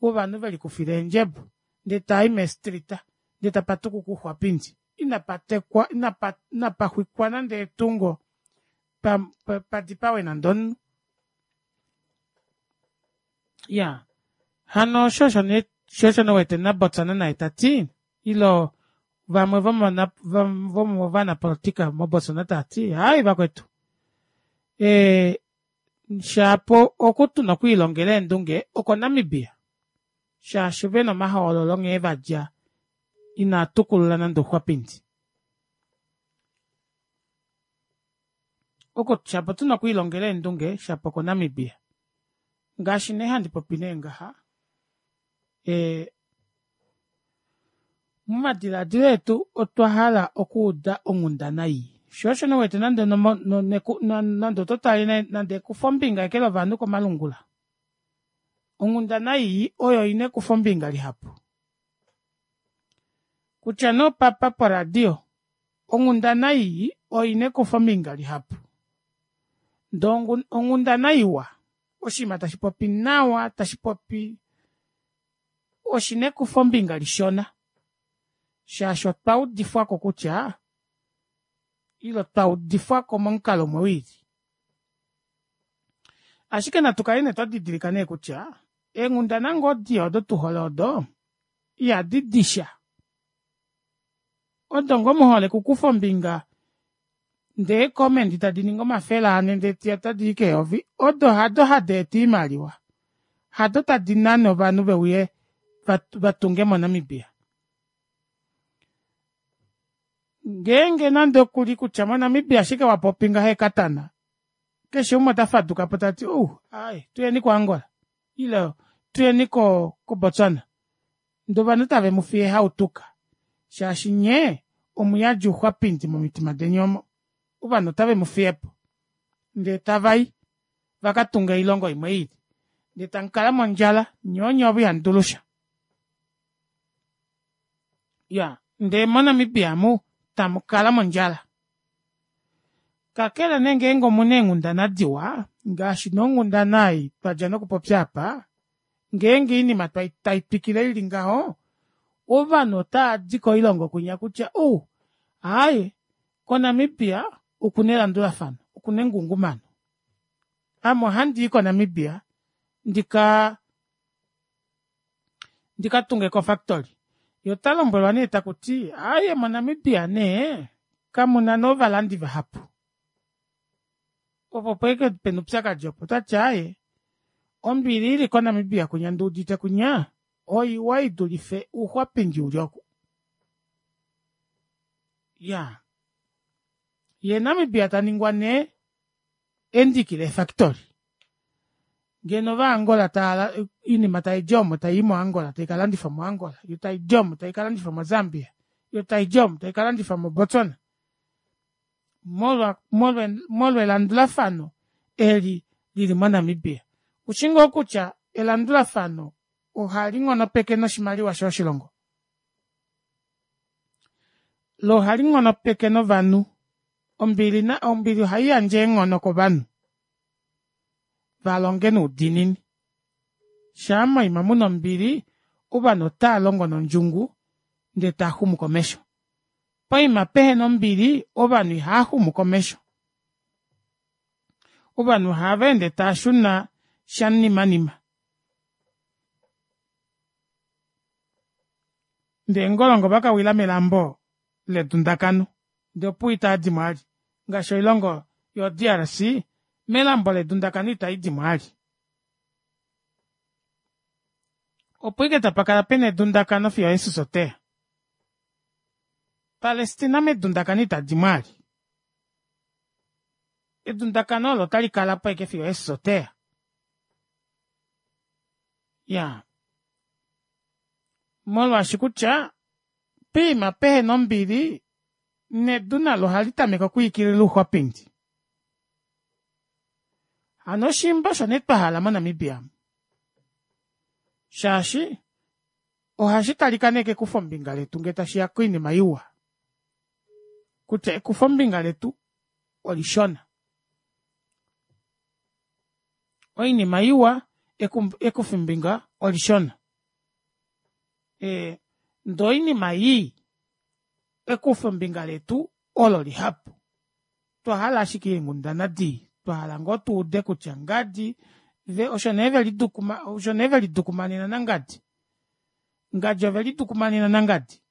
A: wovanhu veli kufila eendjebo ndee tai mestrita ndee tapatuku kuxwapindi inapatekwa inapa inapaxwikwa nande etungo pa, pa, padipawe nande omunhu. Ya hano shosho ne shosho nowete naBotswana naye tati ilo vamwe vomona vomo vanapolitika moBotswana tati hayi vakwetu e shapo okutuna okuilongela eendunge oko Namibia shaashi vena omahoololo nghee vadja inatukulula nande ouxwapindi. Oko shapo tuna okuilongela eendunge shapo oko Namibia ngaashi nee handi popi nee ngaha e momadiladilo etu otwa hala okuuda onghundana iyi. Shosho nowete nande nande ototali nande ekufa ombinga eke lovanhu komalungula. Onghundana iyi oyo ina ekufa ombinga lihapu. Kutya no papa poradio, onghundana iyi oyo ina ekufa ombinga lihapu. Ndo onghundana iwa, oshinima tashi popi nawa, tashi popi oshina ekufa ombinga lishona. Shaashi otwa udifwako kutya ilo twa udifwako momukalo umwe wili. Ashike natu kale nee twa didilika nee kutya eenghundana ngoo diya odo tuhole odo ihadi disha. Odo ngoo muhole kukufa ombinga ndee comment tadi ningi omafele ane ndee tiya tadi i keyovi, odo hado hadi eta oimaliwa. Hado tadi nane ovanhu veuye vatunge moNamibia. Ngeenge nande okuli kutya moNamibia ashike wapopi ngaha ekatana, keshe umwe ota faduka po tati uh, ai tuyeni koAngola ile tuyeni ko koBotswana. Ndee ovanhu tave mu fiye hautuka shaashi nye omuyadji ouxwapindi momitima deni omo. Ovanhu otave mu fiyepo ndee tavai vakatunga oilongo imwe ili ndee tamukala mondjala nyoonye ovo ihamudulusha. Ya ndee moNamibia mu tamukala mondjala. Kakele nee ngeenge omuna eenghundana diwa ngaashi nonghundana ei twadja nokupopya apa, ngeenge oinima tai twikile ili ngaho ovanhu otavadi koilongo kwinya kutya uh, aaye koNamibia okuna elandulafano, okuna engungumano. Ame ohandi i koNamibia ndika ndikatunge kofactory. Ye ota lombwelwa nee takuti aaye moNamibia nee kamuna novalandi vahapu. Opo pweke pena upyakadi opo tati aaye ombili ili koNamibia kwinya nduudite kwinya oiwa idulife ouxwapindi uli oku. Ya ye Namibia taningwa nee endiki lefactory. Ngeno vaAngola taala oinima taidi omo tai moAngola taikalandifwa moAngola, yo taidi omo taikalandifwa moZambia, yo taidi omo taikalandifwa moBotswana. Molwa molwa molwa elandulafano eli lili moNamibia. Ushi ngoo kutya elandulafano Ohali nghonopeke noshimaliwa shoshilongo. Lo ohali nghonopeke novanhu. Ombili na ombili ohai yandje eenghono kovanhu valonge noudiinini. Shaa moima muna ombili, ovanhu otava longo nondjungu ndee taaxumu komesho. Poima pehena ombili, ovanhu ihaaxumu komesho. Ovanhu ohava ende taashuna shamunimanima. Ndee ngolongo vakawila melambo ledundakano ndee opuwo itaadimo vali ngaashi oilongo yo D R C melambo ledundakano itaidimo vali. Opo ashike tapakala pena edundakano fiyo Jesus oteya. Palestina medundakano itadimo vali. Edundakano olo otali kalapo ashike fiyo Jesus oteya. Ya molwaashi kutya poima pehena ombili nedu nalo ohali tameke okwiikilila ouxwapindi. Hano oshimba osho nee twahala moNamibia shaashi ohashi talika nee kekufombinga letu ngee tashiya koinima iwa kutya ekufombinga letu olishona. Oinima iwa ekufombinga olishona. E, ndee oinima ii ekufombinga letu olo lihapu. Twahala ashike eenghundana dii, twahala ngoo tuude kutya ngadi ve osho nee velidukuma osho nee velidukumanena nangadi. Ngadi ovelidukumanena nangadi.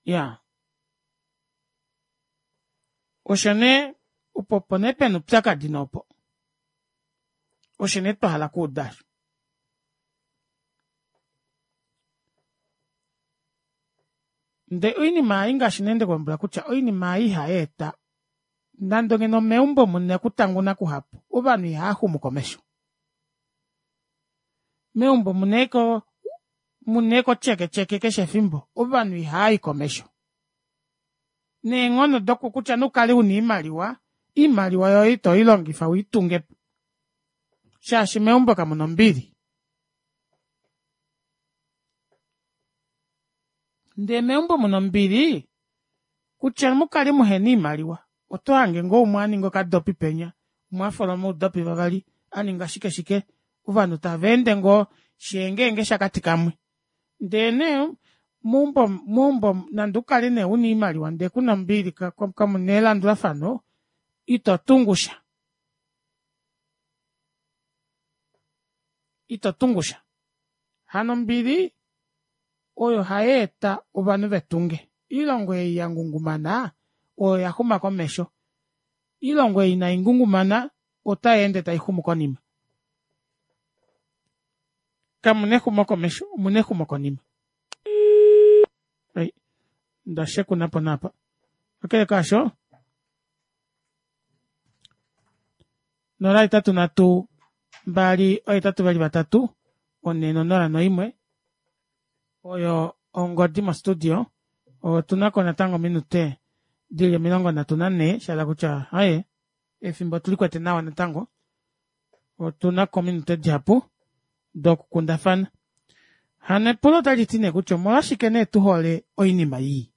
A: Ya osho nee opo opo nee pena oupyakadi noopo. Osho nee twahala okuuda osho. Ndee oinima ei ngaashi nee ndekulombwela kutya oinima ei ihayeeta nande ngeno meumbo muna okutanguna kuhapu ovanhu ihaaxumu komesho. Meumbo muna eko muna eko tyeketyeke keshe efimbo ovanhu ihaayi komesho. Neenghono doku kutya nukale una oimaliwa, oimaliwa yoye ito ilongifa uitungepo shaashi meumbo kamuna ombili. Ndee meumbo muna ombili kutya mukale muhena oimaliwa oto hange ngoo umwe aninga okadopi penya, umwe afoloma oudopi vavali aninga shike shike ovanhu tavaende ngoo shee shakati kamwe. Ndee nee meumbo meumbo nande ukale nee una oimaliwa ndee kuna ombili kamuna elandulafano ito tungusha. Ito tungusha. Hano ombili oyo hayeeta ovanhu vetunge. Oilongo ei yangungumana oyo yaxuma komesho. Oilongo ei inaingungumana otayeende taixumu konima. Kamuna exumokomesho, omuna exumokonima. Ei, ndashekunapo naapa. Kakele kaasho nola hetatu nhatu mbali ohetatu vali vatatu onhe nonola noimwe oyo ongodi mo studio. Otunako natango ominute dili omilongo nhatu nanhee shahala kutya aaye efimbo otulikwete nawa natango. Otunako ominute dihapu dokukundafana. Hano epulo otaliti nee kutya omolwashike nee tuhole oinima ii?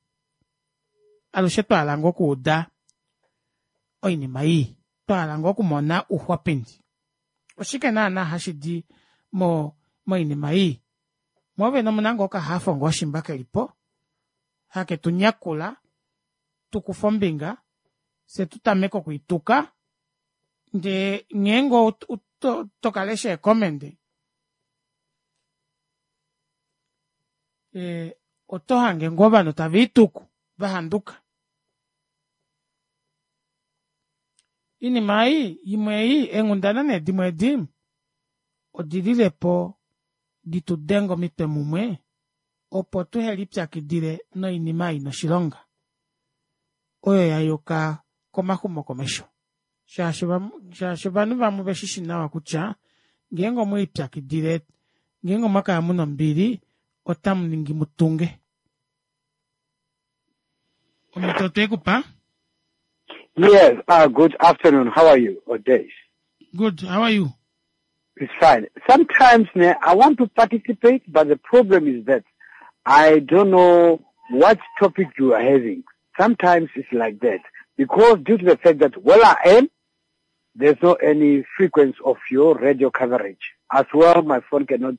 A: Alushe twahala ngoo okuuda oinima ii, twahala ngoo okumona ouxwapindi. Oshike naana hashidi mo moinima ii? Mwoovene omuna ngoo okahafo ngoo shimba kelipo hake tunyakula tukufe ombinga fye tutameke okwiituka ndee ngeenge tokalesha eecommend e, oto hange ngoo ovanhu tava ituku vahanduka. Oinima ei imwe ei eenghundana nee dimwe edi odililepo ditudenge omitwe mumwe opo tuhelipyakidile noinima ina oshilonga oyo yayuka komaxumokomesho. Shaashi shaashi ovanhu vamwe oveshishi nawa kutya ngeenge omwelipyakidile ngeenge omwakala muna ombili otamu ningi mutunge. Omhito otwekupa.
M: Yes, uh, good afternoon. How are you, or days?
A: Good. How are you?
M: It's fine. Sometimes ne, I want to participate, but the problem is that I don't know what topic you are having. Sometimes it's like that. Because due to the fact that where I am, there's no any frequency of your radio coverage. As well, my phone cannot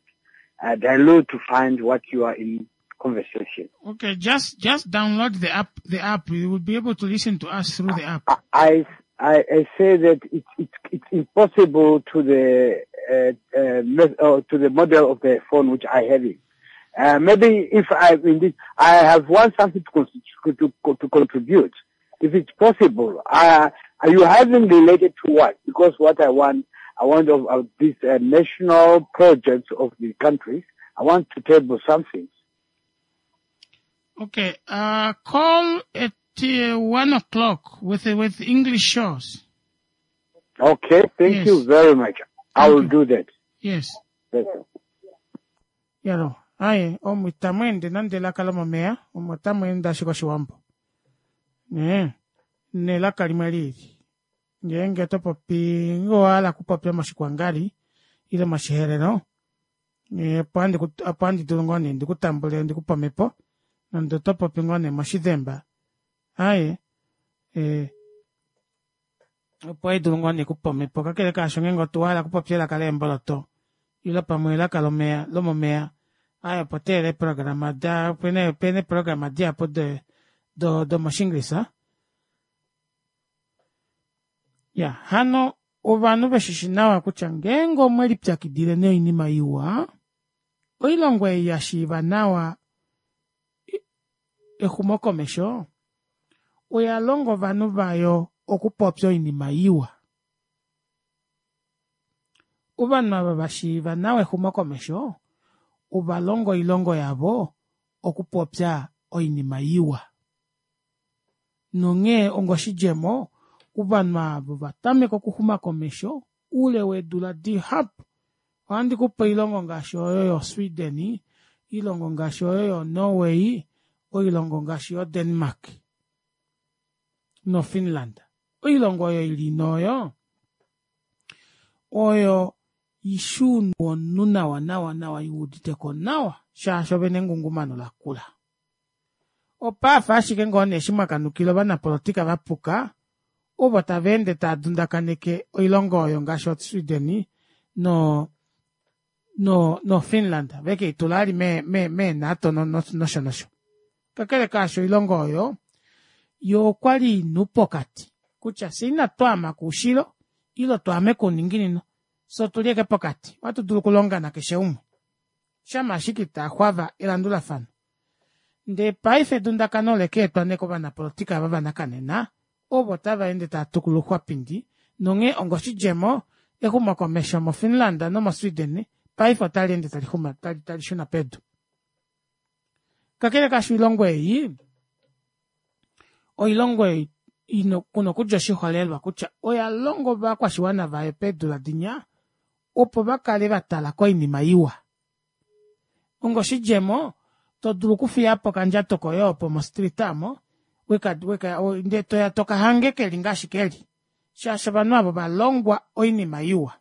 M: uh, download to find what you are in conversation.
A: Okay, just just download the app. The app you will be able to listen to us through the app.
M: I, I, I say that it's, it's, it's impossible to the, uh, uh, me- uh, to the model of the phone which I have it. Uh, maybe if I indeed, I have one something to, con- to, to contribute. If it's possible, uh, are you having related to what? Because what I want, I want of, of this uh, national projects of the countries. I want to table something.
A: Okay, uh, call at uh, one o'clock with with English shows.
M: Okay, thank
A: Yes.
M: you very much. I
A: Thank
M: will
A: you.
M: do that.
A: Yes.
M: Thank you.
A: Yalo, aye, omu itamu ende nande elaka lomomeya, omu otamu ende ashike oshiwambo. Ne, nelaka limwe lili. Ngeenge oto popi, ngee owa okupopya moshikwangali, ile moshiherero, eh, opo handi ku- opo handi dulu ngoo nee ndikutambule ndikupe omhepo, nande oto popi ngoo nee moshidhemba. Aye, eh, opo hai dulu ngoo nee kupa omhepo, kakele kaasho ngeenge owa hala okupopya elaka leemboloto, ile pamwe elaka lomeya lomomeya, aye opo teele eeprograma da opena opena eeprograma dihapu de do domoshinglisa. Ya, hano ovanhu veshishi nawa kutya ngeenge omwe lipyakidile noinima iwa, oilongo ei ya shiiva nawa exumokomesho oya longa ovanhu vayo okupopya oinima iwa. Ovanhu ava vashiiva nawa exumokomesho ova longa oilongo yavo okupopya oinima iwa. Nonghee onga oshidjemo, ovanhu avo vatameka okuxuma komesho oule weedula dihapu. Ohandi kupe oilongo ngaashi oyo yoSweden, oilongo ngaashi oyo yoNorway, oilongo ngaashi yoDenmark noFinland. Oilongo oyo ili noyo oyo ishuunu omunhu nawa nawa nawa iuditeko nawa shaashi ovena engungumano lakula. Opaafa ashike ngoo nee eshi mwakanukila ovanapolitika vapuka ovo tava ende tava dundakaneke oilongo oyo ngaashi oSweden no no no Finland veke itula ali me me me NATO no no nosho nosho. Kakele kaasho oilongo oyo yo okwali inu pokati kutya fye inatu ama koushilo ile twaame kouninginino fye otuli eke pokati ohatu dulu okulonga nakeshe umwe shama ashike itaxwava elandulafano. Ndee paife edundakano olekeetwa nee kovanapolitika ava vanakanena ovo tava ende tava tukula ouxwapindi nonghee onga oshidjemo exumokomesho moFinland nomoSweden paife otali ende tali xuma tali, tali shuna pedu. Kakele kaasho oilongo ei oilongo ei ino kuna okudja oshiholelwa kutya oya longa ovakwashiwana vayo peedula dinya opo vakale vatala koinima iwa. Onga oshidjemo to dulu okufiyapo okandjato koye opo mostreet amo weka weka ndee toya toka hange keli ngaashi keli shaashi ovanhu avo valongwa oinima iwa.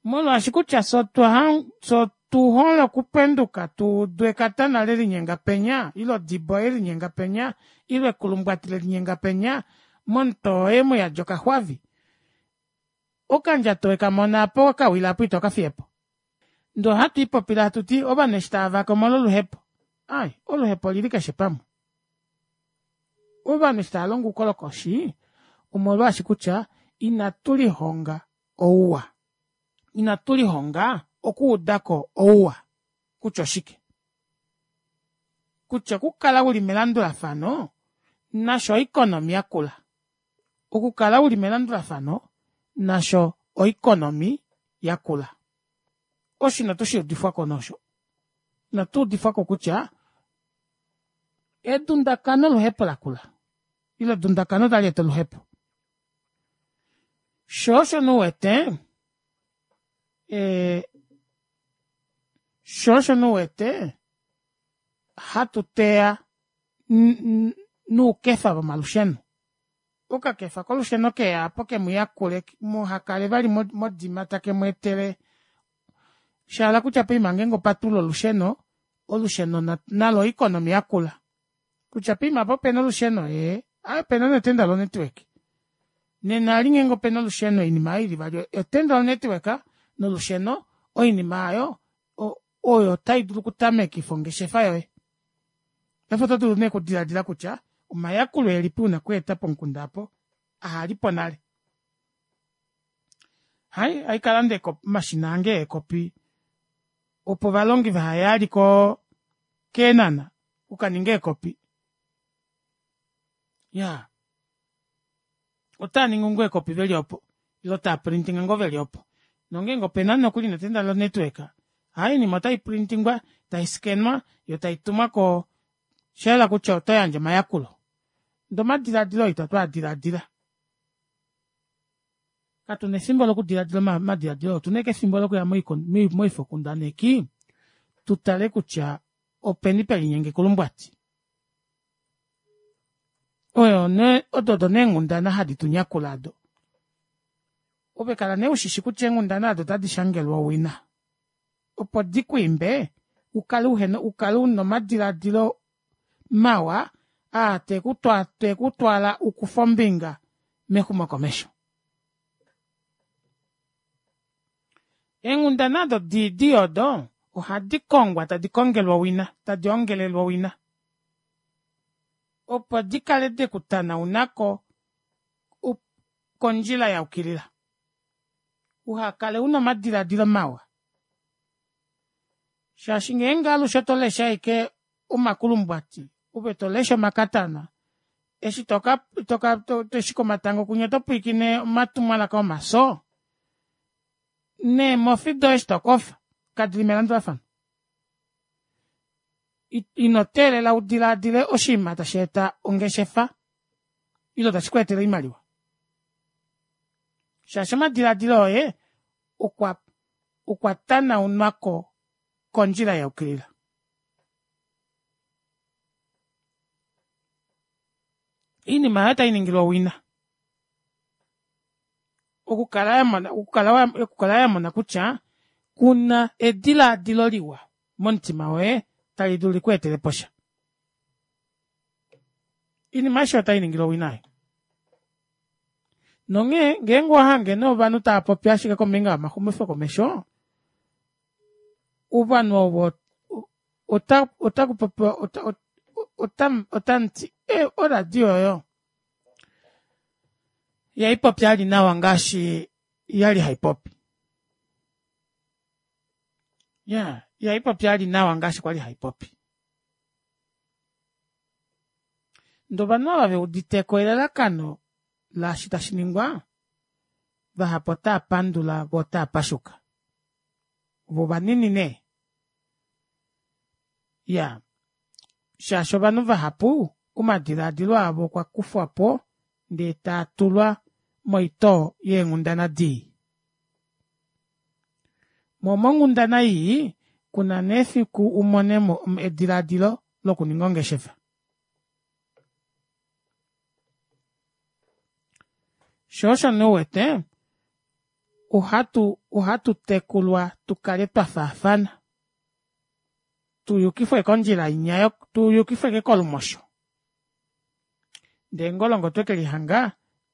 A: Molwaashi kutya fye otwa fye otuhole okupenduka tuudu ekatana lelinyenga penya ile odibo yelinyenga penya ile ekulumbwati lelinyenga penya momutoo woye muyadi okaxwavi okandjato wekamona apo wakawila apo ito kafiyepo. Ndee ohatu ipopile hatu ti ovanhu eshi tava vake omolwa oluhepo. Ai, oluhepo olili keshe pamwe. Ovanhu eshi tava longo oukolokoshi omolwaashi kutya inatu lihonga ouwa. Inatu lihonga okuudako ouwa kutya oshike. Kutya okukala uli melandulafano nasho oikonomi yakula. Okukala uli melandulafano nasho oikonomi yakula. Osho inatu shi udifwako nosho. Inatu udifwako kutya edundakano oluhepo lakula. Ile edundakano tali eta oluhepo. Sho osho nuwete eh, sho osho nuwete hatu teya nuukefa vomalusheno. Okakefa kolusheno keya apo kemuyakule muhakale vali modima take mweetele shahala kutya poima ngeenge opatulula olusheno olusheno nalo oeconomy yakula kutya poima apa opena olusheno ee aaye opena netenda lo network nena eli ngeenge opena olusheno oinima aayo ili ivali etenda lo network nolusheno oinima aayo oyo taidulu okutamekifa ongeshefa yoye. Paife oto dulu nee okudilaadila kutya omayakulo elipi una okweeta pomukunda aapo ahalipo nale. Hai haikalanda omashina ange eekopi opo ovalongi vahaye vali koo keenhana okukaninga eekopi iyaa otaaningi ngoo eekopi veli opo ile taaprintinga ngoo veli opo nongeenge opena nokuli netenda lo network aaye oinima otaipurintingwa taiscanwa yoo taitumwa koo oshayela kutya otoyandje omayakulo ndee omadilaadilo oo ita twaadilaadila katuna efimbo lokudilaadila omadilaadilo oo otuna ashike efimbo lokuya moifokundaneki tutale kutya openi pelinyenga ekulumbwati oyo nee odo odo nee eenghundana hadi tunyakula aado ove kala nee ushishi kutya eenghundana aado otadi shangelwa owina opo dikwiimbe ukale uhena ukale una omadilaadilo mawa aa tekutwala ukufe ombinga mexumokomesho. Eenghundana aado dii odo ohadi kongwa tadi kongelwa owina tadi ongelelwa owina opo dikale dekutanaunako kondjila yayukilila uhakale una omadilaadilo mawa shaashi ngeenge alushe otolesha ashike omakulumbwati ove tolesha omakatana eshi toka toka eshi komatango kunya otopwiikine omatumwalaka omafyo neemofi doye eshi tokofa kadili melandulafano ino teelela udilaadile oshinima tasheeta ongeshefa ile tashikweetele oimaliwa shaashi omadilaadilo oye okwa okwa tanaunwako kondjila yayukilila oinima aayo otainingilwa owina okukala yamona okukala yamona kutya kuna edilaadilo liwa momutima woye tali dulu likweeteleposha oinima aishe otainingilwa owina aayo nonghee ngeenge owahange nee ovanhu taapopi ashike kombinga yomaxumifo komesho ovanhu ovo ota otakupopiwa ota otamuti ee oradio oyo ihaipopi vali nawa ngaashi yali haipopi iyaa ihaipopi vali nawa ngaashi kwali haipopi ndee ovanhu ava veuditeko elalakano laashi tashiningwa vahapu otaapandula voo otaapashuka voo ovanini nee iyaa shaashi ovanhu vahapu omadilaadilo avo okwa kufwapo ndee taatulwa moitoo yeenghundana dii moo monghundana ii kuna nee efiku umonemo edilaadilo lokuninga ongeshefa shoo osho nee uwete ohatu ohatu tekulwa tukale twafaafana tuyukifwe kondjila inya tuyukifwe ashike kolumosho ndee ngolongo otwekelihanga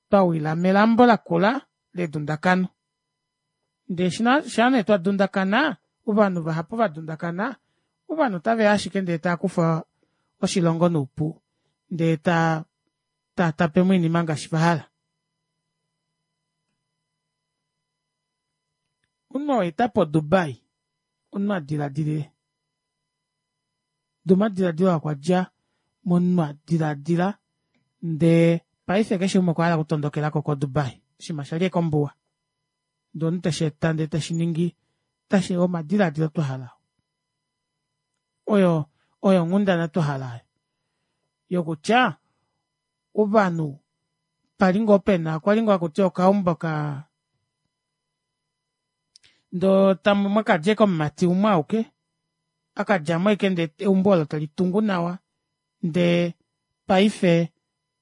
A: twawila melambo lakula ledundakano ndee shaa nee twadundakana ovanhu vahapu vadundakana ovanhu otaveya ashike ndee taakufa oshilongo noupu ndee taa taatapemo oinima ngaashi vahala omunhu oo aetapo dubai omunhu adilaadilile ndee omadilaadilo aa okwadja momunhu adilaadila ndee paife keshe umwe okwahala okutondokelako ko dubai oshiima shali ashike ombuwa ndee omunhu tesheeta ndee teshiningi omadilaadilo twahala oyo oyo onghundana twahala aayo yokutya ovanhu pali ngoo pena okwali ngoo hakutiwa okaumbo kaa ndee mwakadja ashike omumati umwe auke akadjamo ashike ndee eumbo olo telitungu nawa ndee paife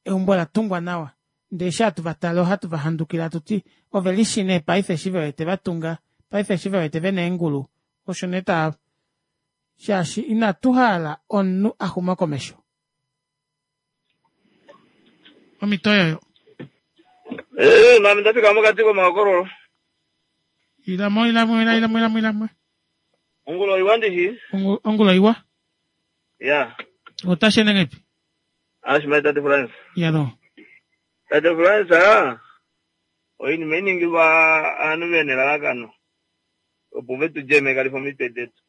A: eumbo olatungwa nawa Ndee eshi hatu va tale ohatu va handukile hatu ti ove lishi nee paife eshi ve wete va tunga, paife eshi ve wete ve na eengulu, osho nee tava shaashi inatu hala omunhu a xuma komesho. Omhito oyoyo.
N: Eh, mami ndafika mokati komahokololo.
A: Ilamo, ilamo, ilamo, ilamo, ilamo.
N: Ongulo iwa ndishi?
A: Ongulo iwa.
N: Ya.
A: Otashi ende ngahelipi?
N: Ashima tate Frans.
A: Yalo.
N: Tate Frans, ah, oinima iningilwa aanhu vena elalakano opo vetu djemekalifa omitwe detu.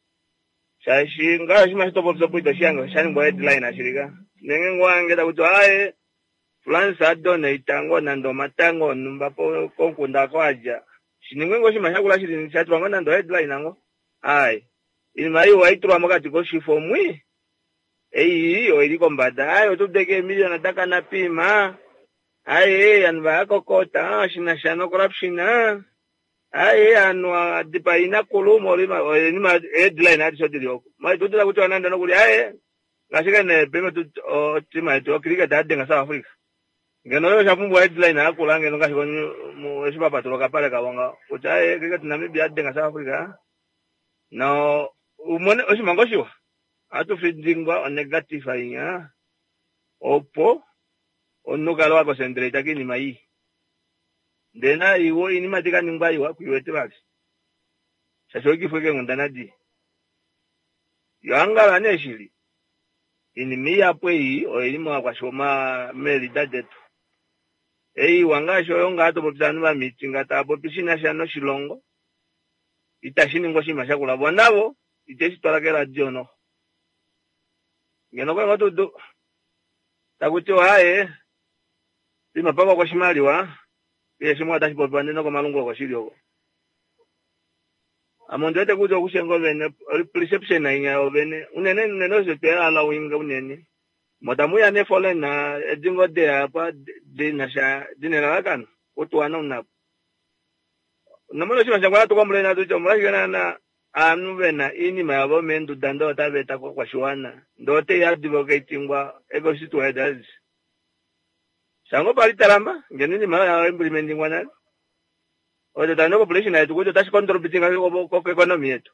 N: Shaashi ngaashi mashi topopya opo itoshi hange osha ningwa headline ashilika. Nenge ngwange takuti aye Frans adonate ngoo nande omatango onhumba komukunda oko adja. Shiningwe ngoo oshinima shakula shili shatulwa ngoo nande headline ngoo. Ai, iinima ei ohaitulwa mokati koshifo mwi. Ei oili kombada. Ai, otudeke eemiliyona dakana piima. Ai, ovanhu vayakokota shinasha no corruption. Ai, ovanhu adipa inakulu molima oinima headline adishe odili oko. Maitudula kutiwa nande nokuli aye ngaashi kene peme tu otima yetu yocricket yadenga South Africa. Ngeno oyo oshapumbwa headline yakula ngeno ngaashi eshi vapatula okapale kavo ngaho kutya aye cricket Namibia yadenga South Africa. No umone oshinima ngoo shiwa ohatu findingwa onegative ainya opo omunhu ukale wa concentrate koinima ii. Ndee naiwo oinima tikaningwa iwa kuiwete vali shaashi oikifwe keenghundana dii. Yo angala nee shili iinima ihapu ei oili movakwashiwana meelida detu. Eiwa ngaashi oyo ngaa topopya ovanhu vamiitinga tava popi shinasha noshilongo itashi ningwa oshinima shakula vo navo iteshi twala keradio noxo. Ngeno okwali ngoo tudu takutiwa aaye poima pavakwa oshimaliwa keshe shimwe otashi popiwa ndee nokomalungula oko shili oko. Ame ondiwete kutya okushenga ovene perception ainya yovene unene unene osho twehala winga unene motamuya nee foreign edi ngoo deya apa dinasha dina elalakano kutuwana unapo. Nomona oshinima shange ohatu komplain hatuti omolwashike naana aanhu vena iinima yavo meenduda ndee otava eta kokwashiwana ndee otei advocatingwa econstituent adishe. Shango pali talamba ngeno iinima oyo ya implementingwa nale. Oyo tali population yetu kutya otashi contributing ko economy yetu.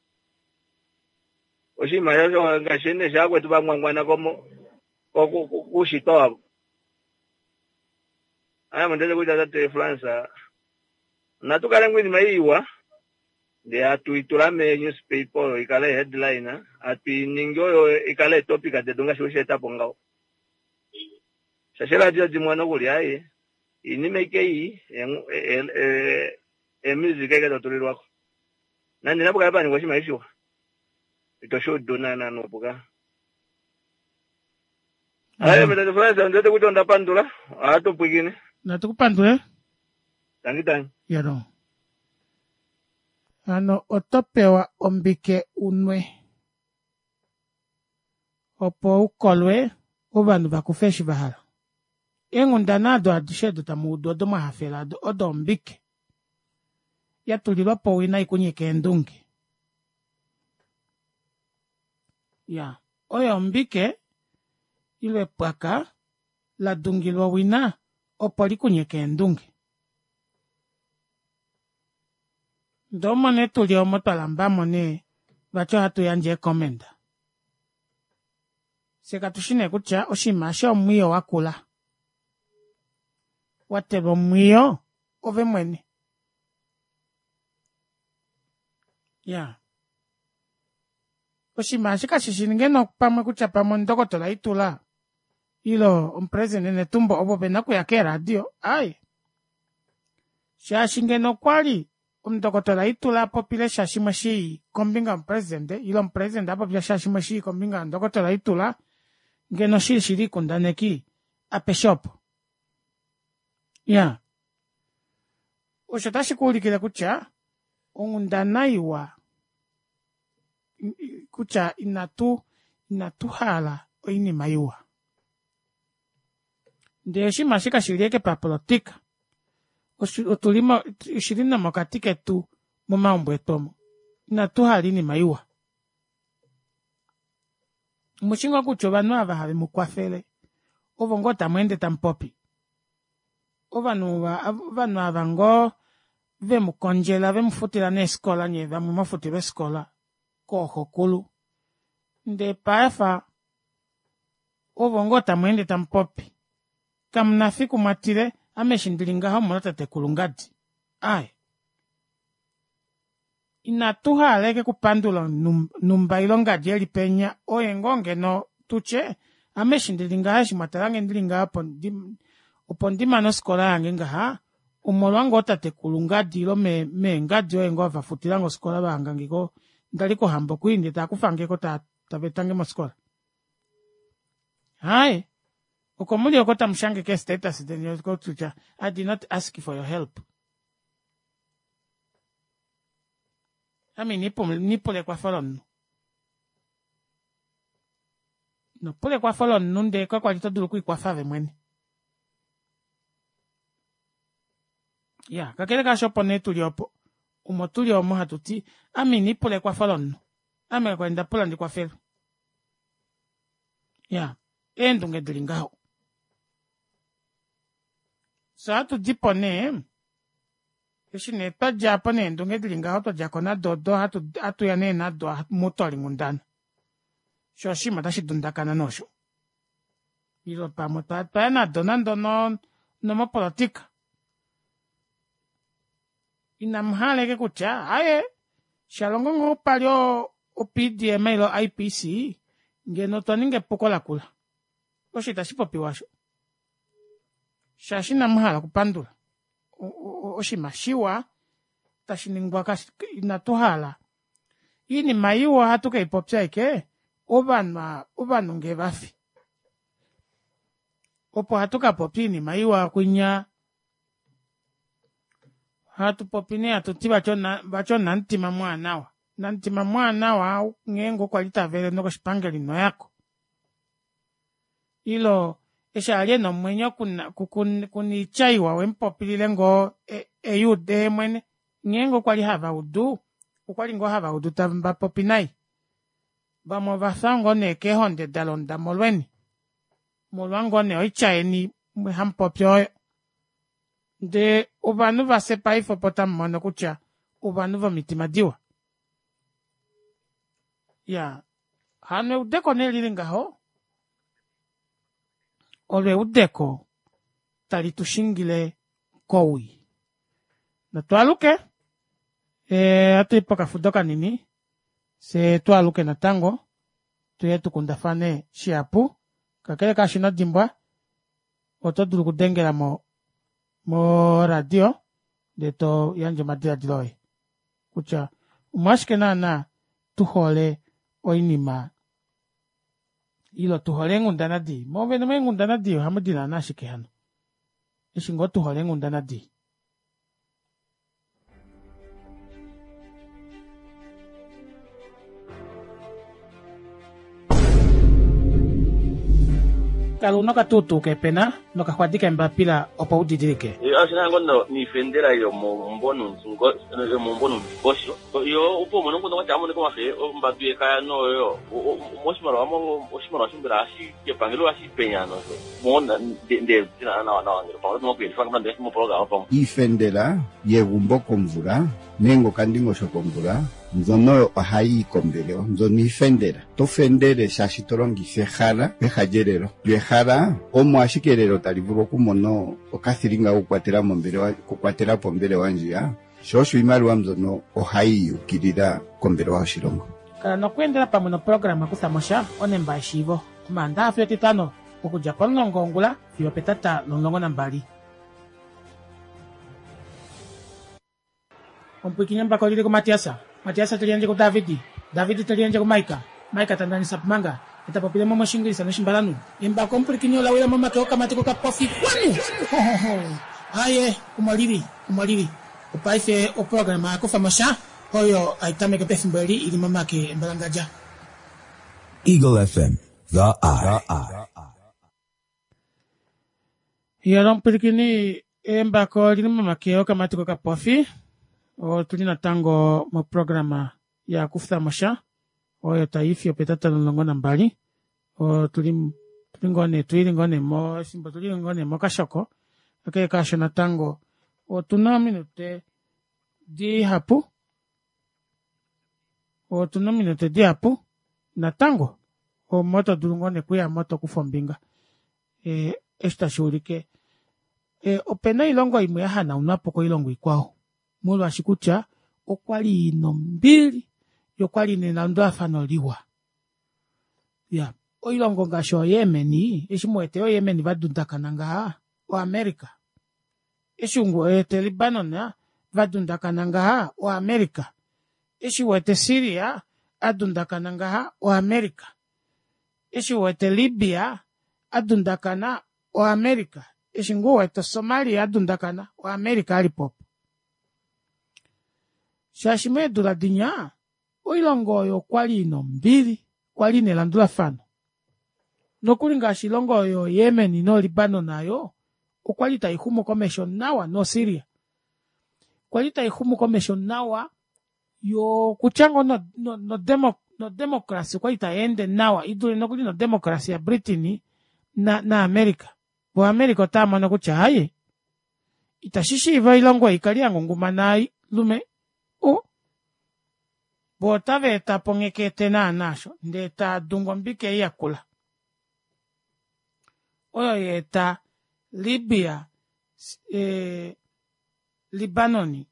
N: Oshinima osho ngaashi nee shaakwetu vangwangwana komo kuushitwa wavo. Ame ondiwete kutya tate France natu kale ngoo iinima iwa ndee hatu itula me newspaper oyo ikale headline hatu iningi oyo ikale topic detu ngaashi wesheetapo ngaho. Shaashi eradio dimwe nokuli aye iinima ike ei emusic eke totulilwako. Nande napu kale paningwa oshinima shiwa ito shuudu naana nuupu ka. Aye tate France ondiwete kutya onda pandula ohatu pwiikine.
A: Natu kupandule.
N: Tangi tangi.
A: Yalo. Hano oto pewa ombike unwe opo ukolwe ovanhu vakufe eshi va hala. Eenghundana ado adishe odo tamu udu odo mwahafela ado odo ombike yatulilwa po owina ikunyike eendunge. Ya, oyo ombike ile epwaka la dungilwa owina opo likunyeke eendunge. Ndee omo nee tuli omo twalambamo nee vati ohatu yandje eekomenda. Fye katushi nee kutya oshinima eshi omwiyo wakula. Watelwa omwiyo ove mwene. Ya. Oshinima eshi kashishi ngeno pamwe kutya pamwe omundokotola Itula ile omupresidente Netumbo ovo vena okuya keeradio, aaye. Shaashi ngeno okwali omundokotola Itula apopile sha shimwe shii kombinga yomupresidente ile omupresidente apopya sha shimwe shii kombinga yondokotola Itula, ngeno shili shili ikundaneki apeshe opo. Ya. Osho tashi kuulikile kutya onghundana iwa kutya inatu inatu hala oinima iwa. Ndee oshinima eshi kashili ashike papolitika. Otuli mo oshili nomokati ketu momaumbo etu omo. Inatu hala oinima iwa. Omushi ngoo kutya ovanhu ava have mu kwafele ovo ngoo tamu ende tamu popi. Ovanhu ovanhu ava ngoo vemukondjela vemufutila neefikola nye vamwe mwafutilwa eefikola kooxokulu ndee paife ovo ngoo tamweende tamupopi kamuna fiku mwatile ame eshi ndili ngaha omolwa tatekulu ngadi aaye inatu hala ashike okupandula numba ile ngadi eli penya oye ngoo ngeno tutye ame eshi ndili ngaha eshi mwatalange ndili ngaha opo ndimane ofikola yange ngaha omolwa ngoo tatekulu ngadi ile meengadi oye ngoo vafutilange ofikola vahangangeko ndali kohambo kwii ndee taakufangeko taveetange mofikola aaye oko muli oko tamushange kee status deni kutya I did not ask for your help. Ame inipula ekwafo lomunhu. Inopula ekwafo lomunhu ndee kakwali todulu okwiikwafa ove mwene. Ya kakele kaasho opo nee tuli opo omo tuli omo hatuti ame inipula ekwafo lomunhu. Ame kakwali ndapula ndikwafelwe. Ya eendunge dili ngaho. Fye ohatudipo nee eshi nee twadjapo neendunge dili ngaho twadjako nado odo hatuya nee nado mutolinghundana shoo oshinima otashi dundakana noosho ile pamwe twaya nado nande onomopolitika inamuhala ashike kutya aaye shalongo ngoo pali o P D M ile I P C ngeno otwa ninga epuko lakula osho itashi popiwa osho shaashi inamuhala okupandula oshinima shiwa tashi ningwa inatu hala iinima iwa ohatu keipopya ashike ovanhu ovanhu ngee vafi opo ohatu kapopya iinima iwa kwinya hatu popi nee hatuti vati onamutima mwaanawa namutima mwaanawa ngeenge okwali tavele nokoshipangelo inoyako ilo eshi ali ena omwenyo kuna oitya iwa wemupopilile ngoo eyuude yeemwene ngeenge okwali havaudu okwali ngoo havaudu tavapopi nai vamwe ovafya ngoo nee keehonde dalonda molweni molwa ngoo nee oitya yeni hamupopi oyo ndee ovanhu vafye paife opo tamumono kutya ovanhu vomitima diwa ya hano eudeko nee lili ngaho olo eudeko tali tushingile kowii notwaaluke ohatuyi pokafudo kanini fyee twaaluke natango tuye tukundafane shihapu kakele kaasho ino dimbwa oto dulu okudengela mo moradio ndee to yandje omadiladilo oye kutya omolwashike naana tuhole oinima ilo tuhole eenghundana dii moovene meenghundana dii ohamudi naana ashike hano eshi ngoo tuhole eenghundana dii. Kala una okatuutuu kepena nokaxwadi kembapila opo udidilike.
B: Ashina ngono niifendela yomombonundikosho yo opo mono ngono kwati amoneka omafe ombadu yekaya noyo moshimaliwa oshimaliwa shombela hashi kepangelo hashi penya nosho mona nde nawa nawa ngelo pamwe nokuyelifa ngamanda mopologama pamwe
C: iifendela yegumbo komvula nenge okandingosho komvula mbyono ohayi kombelewa mbyono iifendela to fendele shaashi to longitha ehala peha lyelelo lyo ehala omo ashike elelo tali vulu okumona okathilinga kokukwatela mombelewa kukwatela pombelewa ndjiya sho osho iimaliwa mbyono ohayi yukilila kombelewa yoshilongo.
A: Kala nokweendela pamwe noprograma kuthamosha onemba yeshiivo omaandaxa fiyo etitano okudja pomulongo wongula fiyo petata lomulongo nambali. Omupwikinyi embako lili kuMatiasa, Matiasa teliandje kuDavidi, Davidi teliandje kuMaika, Maika tandanisa pumanga etapopile mo moshingilisa noshimbalanu. Embako omupwikinyi olawila momake okamati kokapofi kwanu. Aye, omolili, omolili. Opaife oprograma yakufamosha oyo aitameke pefimbo eli ili momake embalangadja.
F: Eagle F M, the eye.
A: Yelo omupwilikini embako lili momake okamati kokapofi. Otuli natango moprograma yakufamosha oyo taifi opetata lomulongo nambali. Otuli tuli ngoo nee tuili ngoo nee mo efimbo tuli ngoo nee mokashoko. Kakele kaasho natango otuna ominute dihapu, otuna ominute dihapu natango omo todulu ngoo nee okuyamo tokufa ombinga ee eshi tashuulike opena oilongo imwe yahanaunwapo koilongo ikwao molwaashi kutya okwali ina ombili yoo okwali ina elandulafano liwa. Iya oilongo ngaashi oo Yemen, eshi muwete oo Yemen vadundakana ngaha o America, eshi uwete Libanon vadundakana ngaha o America, eshi uwete Syria adundakana ngaha o America, eshi uwete Libya adundakana o America, eshi ngoo uwete Somalia adundakana o America alipo opo. Shaashi meedula dinya oilongo oyo okwali ina ombili, kwali ina elandulafano, nokuli ngaashi oilongo oyo Yemen noo Libanon aayo okwali taixumu komesho nawa no Syria, kwali taixumu komesho nawa yoo okutya ngoo no democracy okwali tayeende nawa idule nokuli no democracy ya britain na america. Voo america otaamono kutya aaye ita shishiiva oilongo ei ikale yangungumana lume uu voo otaveetapo nghekete naana aasho ndee taadungu ombike ei yakula oyo yaeta Libya ee Libanon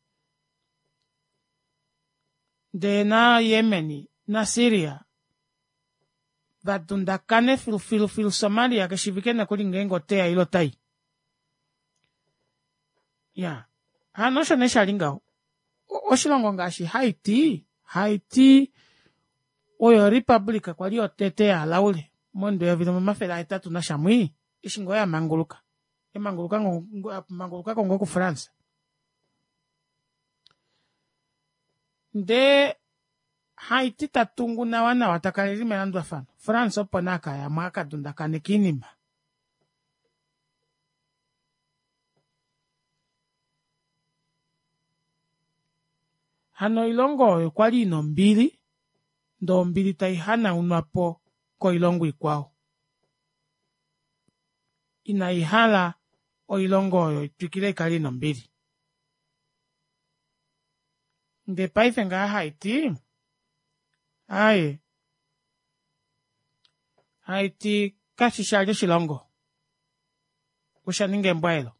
A: ndee na Yemen na Syria vadundakane filu filu Somalia keshiivike nokuli ngeenge oteya ile otayi. Iyaa hano osho nee shali ngaho oshilongo ngaashi Haiti, Haiti oyo republic kwali yotete yalaule momudo eyovi limwe omafele ahetatu nasha mwii eshi ngoo yamanguluka, yamangulukako ngoo ku france. Ndee Haiti tatungu nawa nawa takala eli melandulafano, France opo nee akayamo akadundakaneke oinima. Hano oilongo oyo okwali ina ombili ndee ombili taihanaunwapo koilongo ikwao inaihala oilongo oyo itwikile ikale ina ombili. Ndee paife ngaha Haiti aaye Haiti kashishi vali oshilongo oshaninga embwaelo.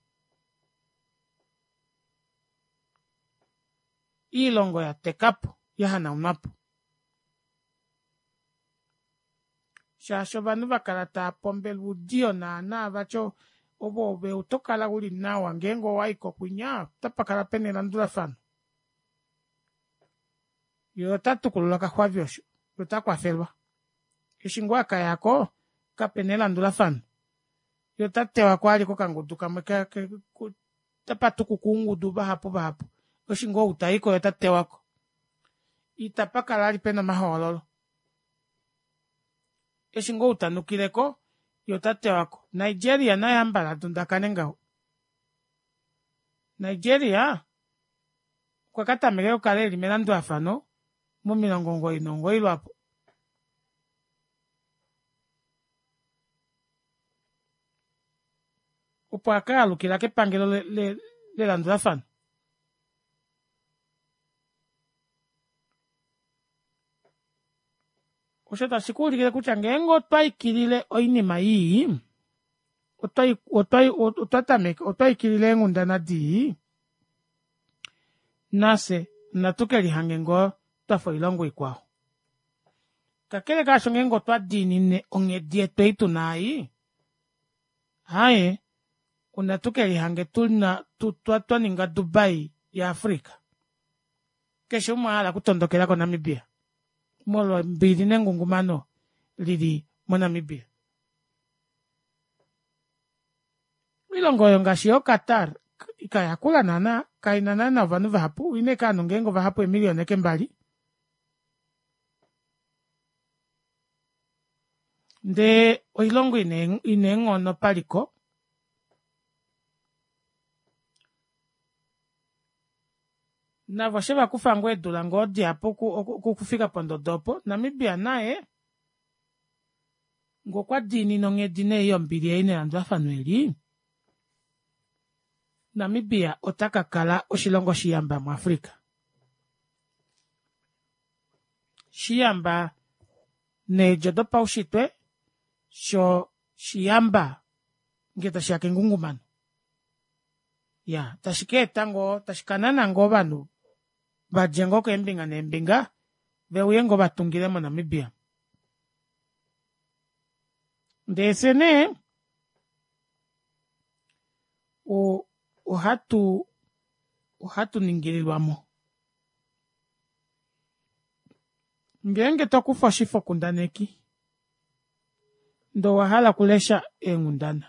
A: Oilongo yatekapo yahanaunwapo shaashi ovanhu vakala taapombelwa oudiyo naana vati ove otokala uli nawa ngeenge owaiko kwinya otapakala pena elandulafano, yee otatukulula okaxwavi osho yee otakwafelwa eshi ngoo akayako kapena elandulafano yee otatewako vali kokangudu kamwe otapatukuka oungudu vahapu vahapu eshi ngoo ou taiko yee otatewako itapakala vali pena omahoololo eshi ngoo ou tanukileko yee otatewako. Nigeria naye hamumbala adundakane ngaho, Nigeria okwakatameka okukala eli melandulafano momilongo omugoyi nomugoyi lwaapo opo akaalukila kepangelo lelandulafano. Osho tashi kuulikile kutya ngeenge otwa ikilile oinima ii otwa tameka otwa ikilila eenghundana dii nafye natu kelihange ngoo twafa oilongo ikwao. Kakele kaasho ngeenge otwa diinine onghedi yetu ei tuna ei aaye onatu kelihange tuna twaninga Dubai ya africa keshe umwe ahala okutondokela ko Namibia molwo ombili nengungumano lili mo Namibia. Oilongo oyo ngaashi yoo Qatar kayakula naana kaina naana ovanhu vahapu oina ashike ovanhu ngeenge ovahapu eemilion ashike mbali ndee oilongo ina eenghono paliko navo oshevakufa ngoo eedula ngoo dihapu okufika pondodo opo. Namibia naye ngee okwa diinine onghedi nee yombili ei nelandulafano eli Namibia ota ka kala oshilongo shiyamba muAfrica. Shiyamba needjo dopaushitwe sho shiyamba ngee tashiya kengungumano. Iyaa tashi kaeta ngoo tashi kanana ngoo ovanhu vadje ngoo keembinga neembinga veuye ngoo vatungile mo Namibia. Ndee fyee nee ohatu ohatu ningililwamo. Ngeenge tokufa oshifokundaneki ndee owahala okulesha eenghundana,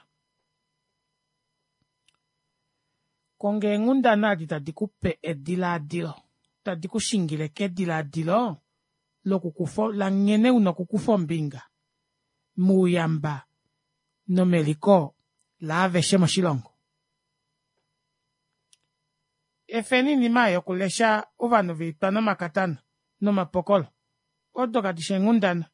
A: konga eenghundana edi tadi kupe edilaadilo tadi kushingile kedilaadilo loku langhene una okukufa ombinga mouyamba nomeliko laaveshe moshilongo. Efeni oinima ei yokulesha ovanhu vaitwa nomakatana nomapokolo odo kadishi eenghundana.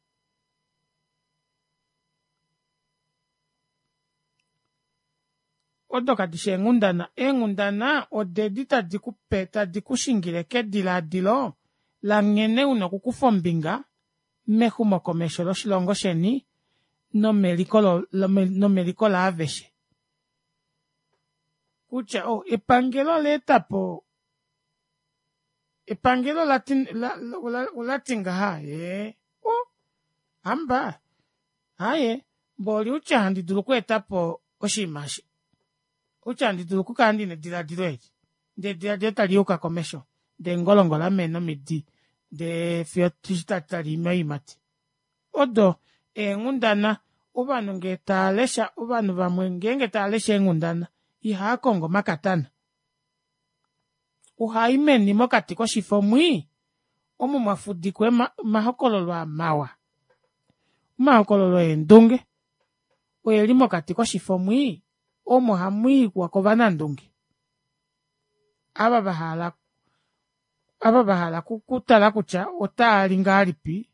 A: Odo kadishi eenghundana, eenghundana odedi tadi kupe tadi kushingile kedilaadilo langhene una okukufa ombinga mexumokomesho loshilongo sheni nomeliko nomeliko laaveshe. Kutya oh epangelo olaetapo epangelo olati olati ngaha ee oh hamba aaye mboli outya handi dulu okweetapo oshinima eshi outya handi dulu okukala ndina edilaadilo eli ndee edilaadilo taliyuka komesho ndee engolongo lamena omidi ndee fiyo taliimi oyiimati. Odo eenghundana ovanhu ngee taalesha ovanhu vamwe ngeenge taalesha eenghundana ihaakongo omakatana ohai meni mokati koshifo mwii omo mwafudikwa omahokololo aa mawa omahokololo eendunge oeli mokati koshifo mwii omo hamwiiwa kovanandunge ava vahala ava vahala okutala kutya otaali ngahelipi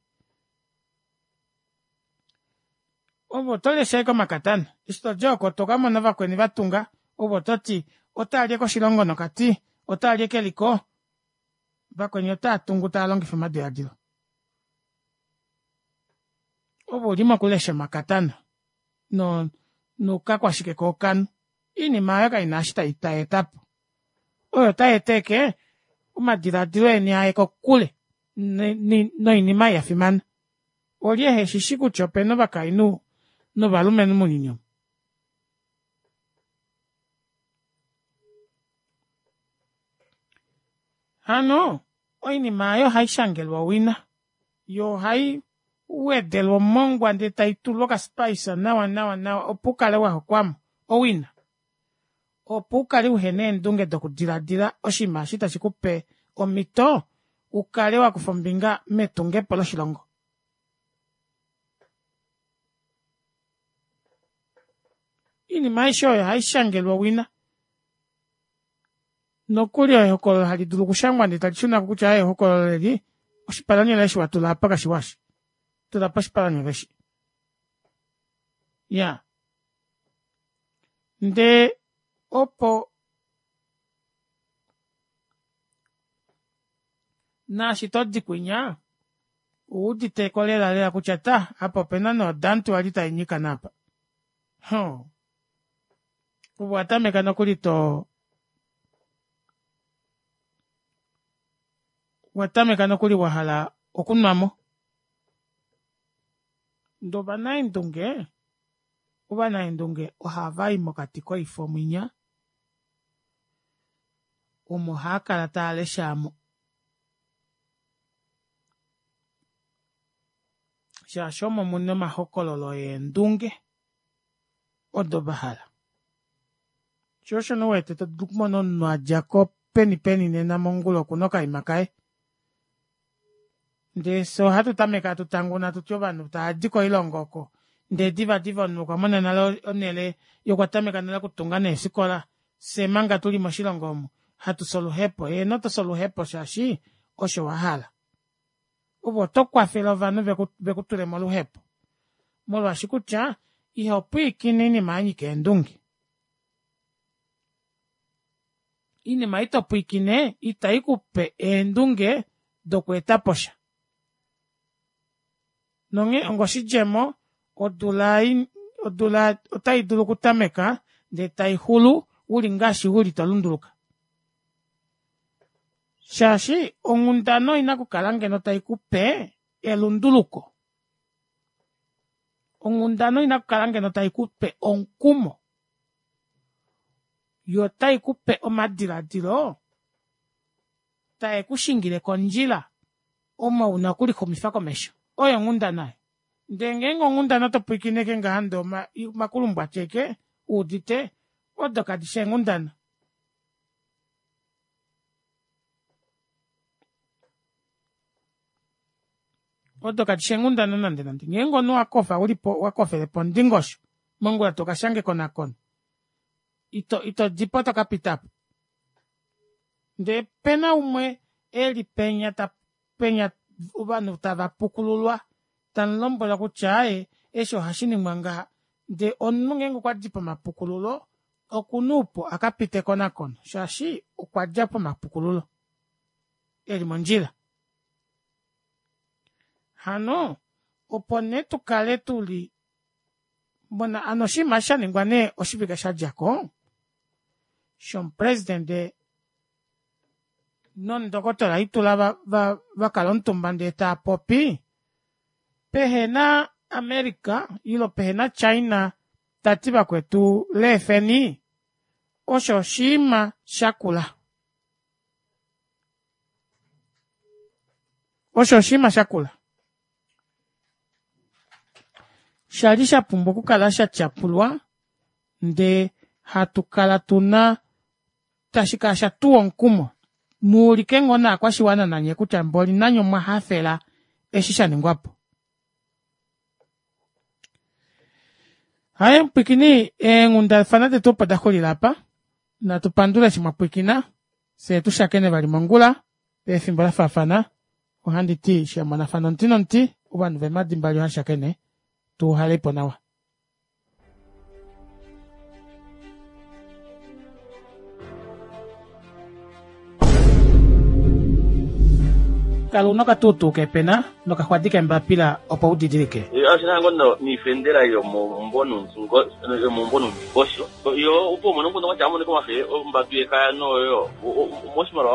A: ove otolesha ashike omakatana eshi todi oko tokamona vakweni vatunga ove ototi otaali ashike oshilongo nokati otaali ashike eliko vakweni otaatungu taalongifa omadilaadilo ove uli mokulesha omakatana no noukakwashike kookanhu oinima aayo kaina eshi tayeetapo oyo otayeeta ashike omadilaadilo eni aye kokule noinima ei yafimana. Olye heshishi kutya opena ovakainhu novalumenhu mounyuni omu. Hano oinima aayo ohaishangelwa owina yoo ohai wedelwa omongwa ndee taitulwa oka spice nawa nawa nawa opo ukale wahokwamo owina opo ukale uhena eendunge dokudilaadila oshinima eshi tashi kupe omito ukale wakufa ombinga metungepo loshilongo. Oinima aishe oyo ohaishangelwa owina nokuli ehokololo hali dulu okushangwa ndee talishunako kutya aaye ehokololo eli oshipalanyole eshi watula aapa kashiwa eshi tulapo oshipalanyole eshi iyaa ndee opo naashi todi kwinya owuuditeko lela lela kutya ta apa opena nee odanti wali tainyika naapa hoo ove owatameka nokuli too owatameka nokuli wahala okunwamo. Ndee ovanaendunge ovanaendunge ohavai mokati koifo mwinya omo haakala taalesha aamo shaashi omo muna omahokololo eendunge odo vahala. Shoo osho nee uwete todulu okumona omunhu adjako peni peni nena mongula okuna okaima kaye ndee fyee ohatu tameke hatu tanguna hatuti ovanhu taadi koilongo oko ndee divadiva omunhu okwamona nale onele yee okwatameka nale okutunga neefikola fyee manga tuli moshilongo omu hatufi oluhepo. Eheno tofi oluhepo shaashi osho wahala. Ove oto kwafele ovanhu vekutule moluhepo molwaashi kutya ihopwiikine oinima yanyika eendunge. Iinima ito pwiikine itai kupe eendunge dokweetapo sha. Nonghee ongoshidjemo odula odula otai dulu okutameka ndee taixulu uli ngaashi uli tolunduluka. Shaashi onghundana oina okukala ngeno taikupe elunduluko. Onghundana oina okukala ngeno taikupe omukumo. Yo taikupe omadilaadilo taekushingile kondjila omo una okulixumifa komesho. Oyo onghundana. Ndee ngeenge onghundana oto pwiikine ashike ngaha ndee omakulumbwati ashike uudite odo kadishi eenghundana. Odo kadishi eenghundana nande nande. Ngeenge omunhu wakofa ulipo wakofele pondingosho mongula tokashange ekonakono ito ito dipo tokapitapo. Ndee pena umwe eli penya ta penya ovanhu tava pukululwa tamulombwelwa kutya aaye eshi ohashiningwa ngaha ndee omunhu ngeenge okwadi pomapukululo okuna oupu akapite ekonakono shaashi okwadja pomapukululo eli mondjila. Hano opo nee tukale tuli mona ano oshinima shaningwa nee oshivike shadjako shomupresidente nomundokotola Itula va, va, vakala omutumba ndee taapopi pehena America ile pehena China tati vakwetu leefeni osho oshinima shakula. Osho oshinima shakula. Shali shapumbwa okukala shatyapulwa ndee hatu kala tuna tashi kala shatuwa omukumo muulike ngoo naakwashiwana nanye kutya mboli nanye omwa hafela eshi shaningwapo. Haye mupwikini eenghundafana detu opo daxulila apa. Natu pandule eshi mwapwikina fyee tushakene vali mongula pefimbo lafaafana. Ohandi ti shamonafana omuti nomuti ovanhu vemadi mbali ohashakene tuuhalepo nawa. Kala una okatuutuu kepena nokaxwadi kembapila opo udidilike.
B: Oshina ngono niifendela yomomumbo yomomumbo nomundingosho yo opo umone omukundu kwatya amonike omafe ombadu yekaya noyo moshimaliwa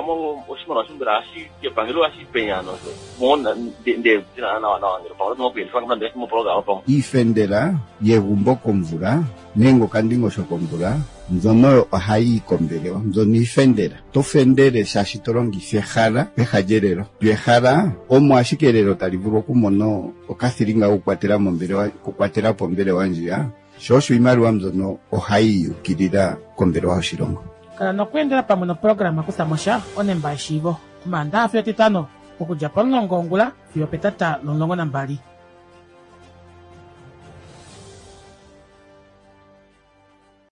B: oshimaliwa shombela hashi kepangelo hashi penya nosho mona nde nawa nawa ngele pamwe okuyelifa nande moprograma pamwe
C: iifendela yegumbo komvula nenge okandingosho komvula mbyono ohayi kombelewa mbyono iifendela. To fendele shaashi to longitha ehala peha lyelelo. Lyo ehala omo ashike elelo tali vulu okumona okathilinga kokukwatela mombelewa okukwatela po ombelewa ndjiya. Sho osho iimaliwa mbyono ohayi yukilila kombelewa yoshilongo.
A: Kala nokweendela pamwe noprograma kuthamosha onemba yeshiivo omaandaxa fiyo etitano okudja pomulongo wongula fiyo opetata lomulongo nambali.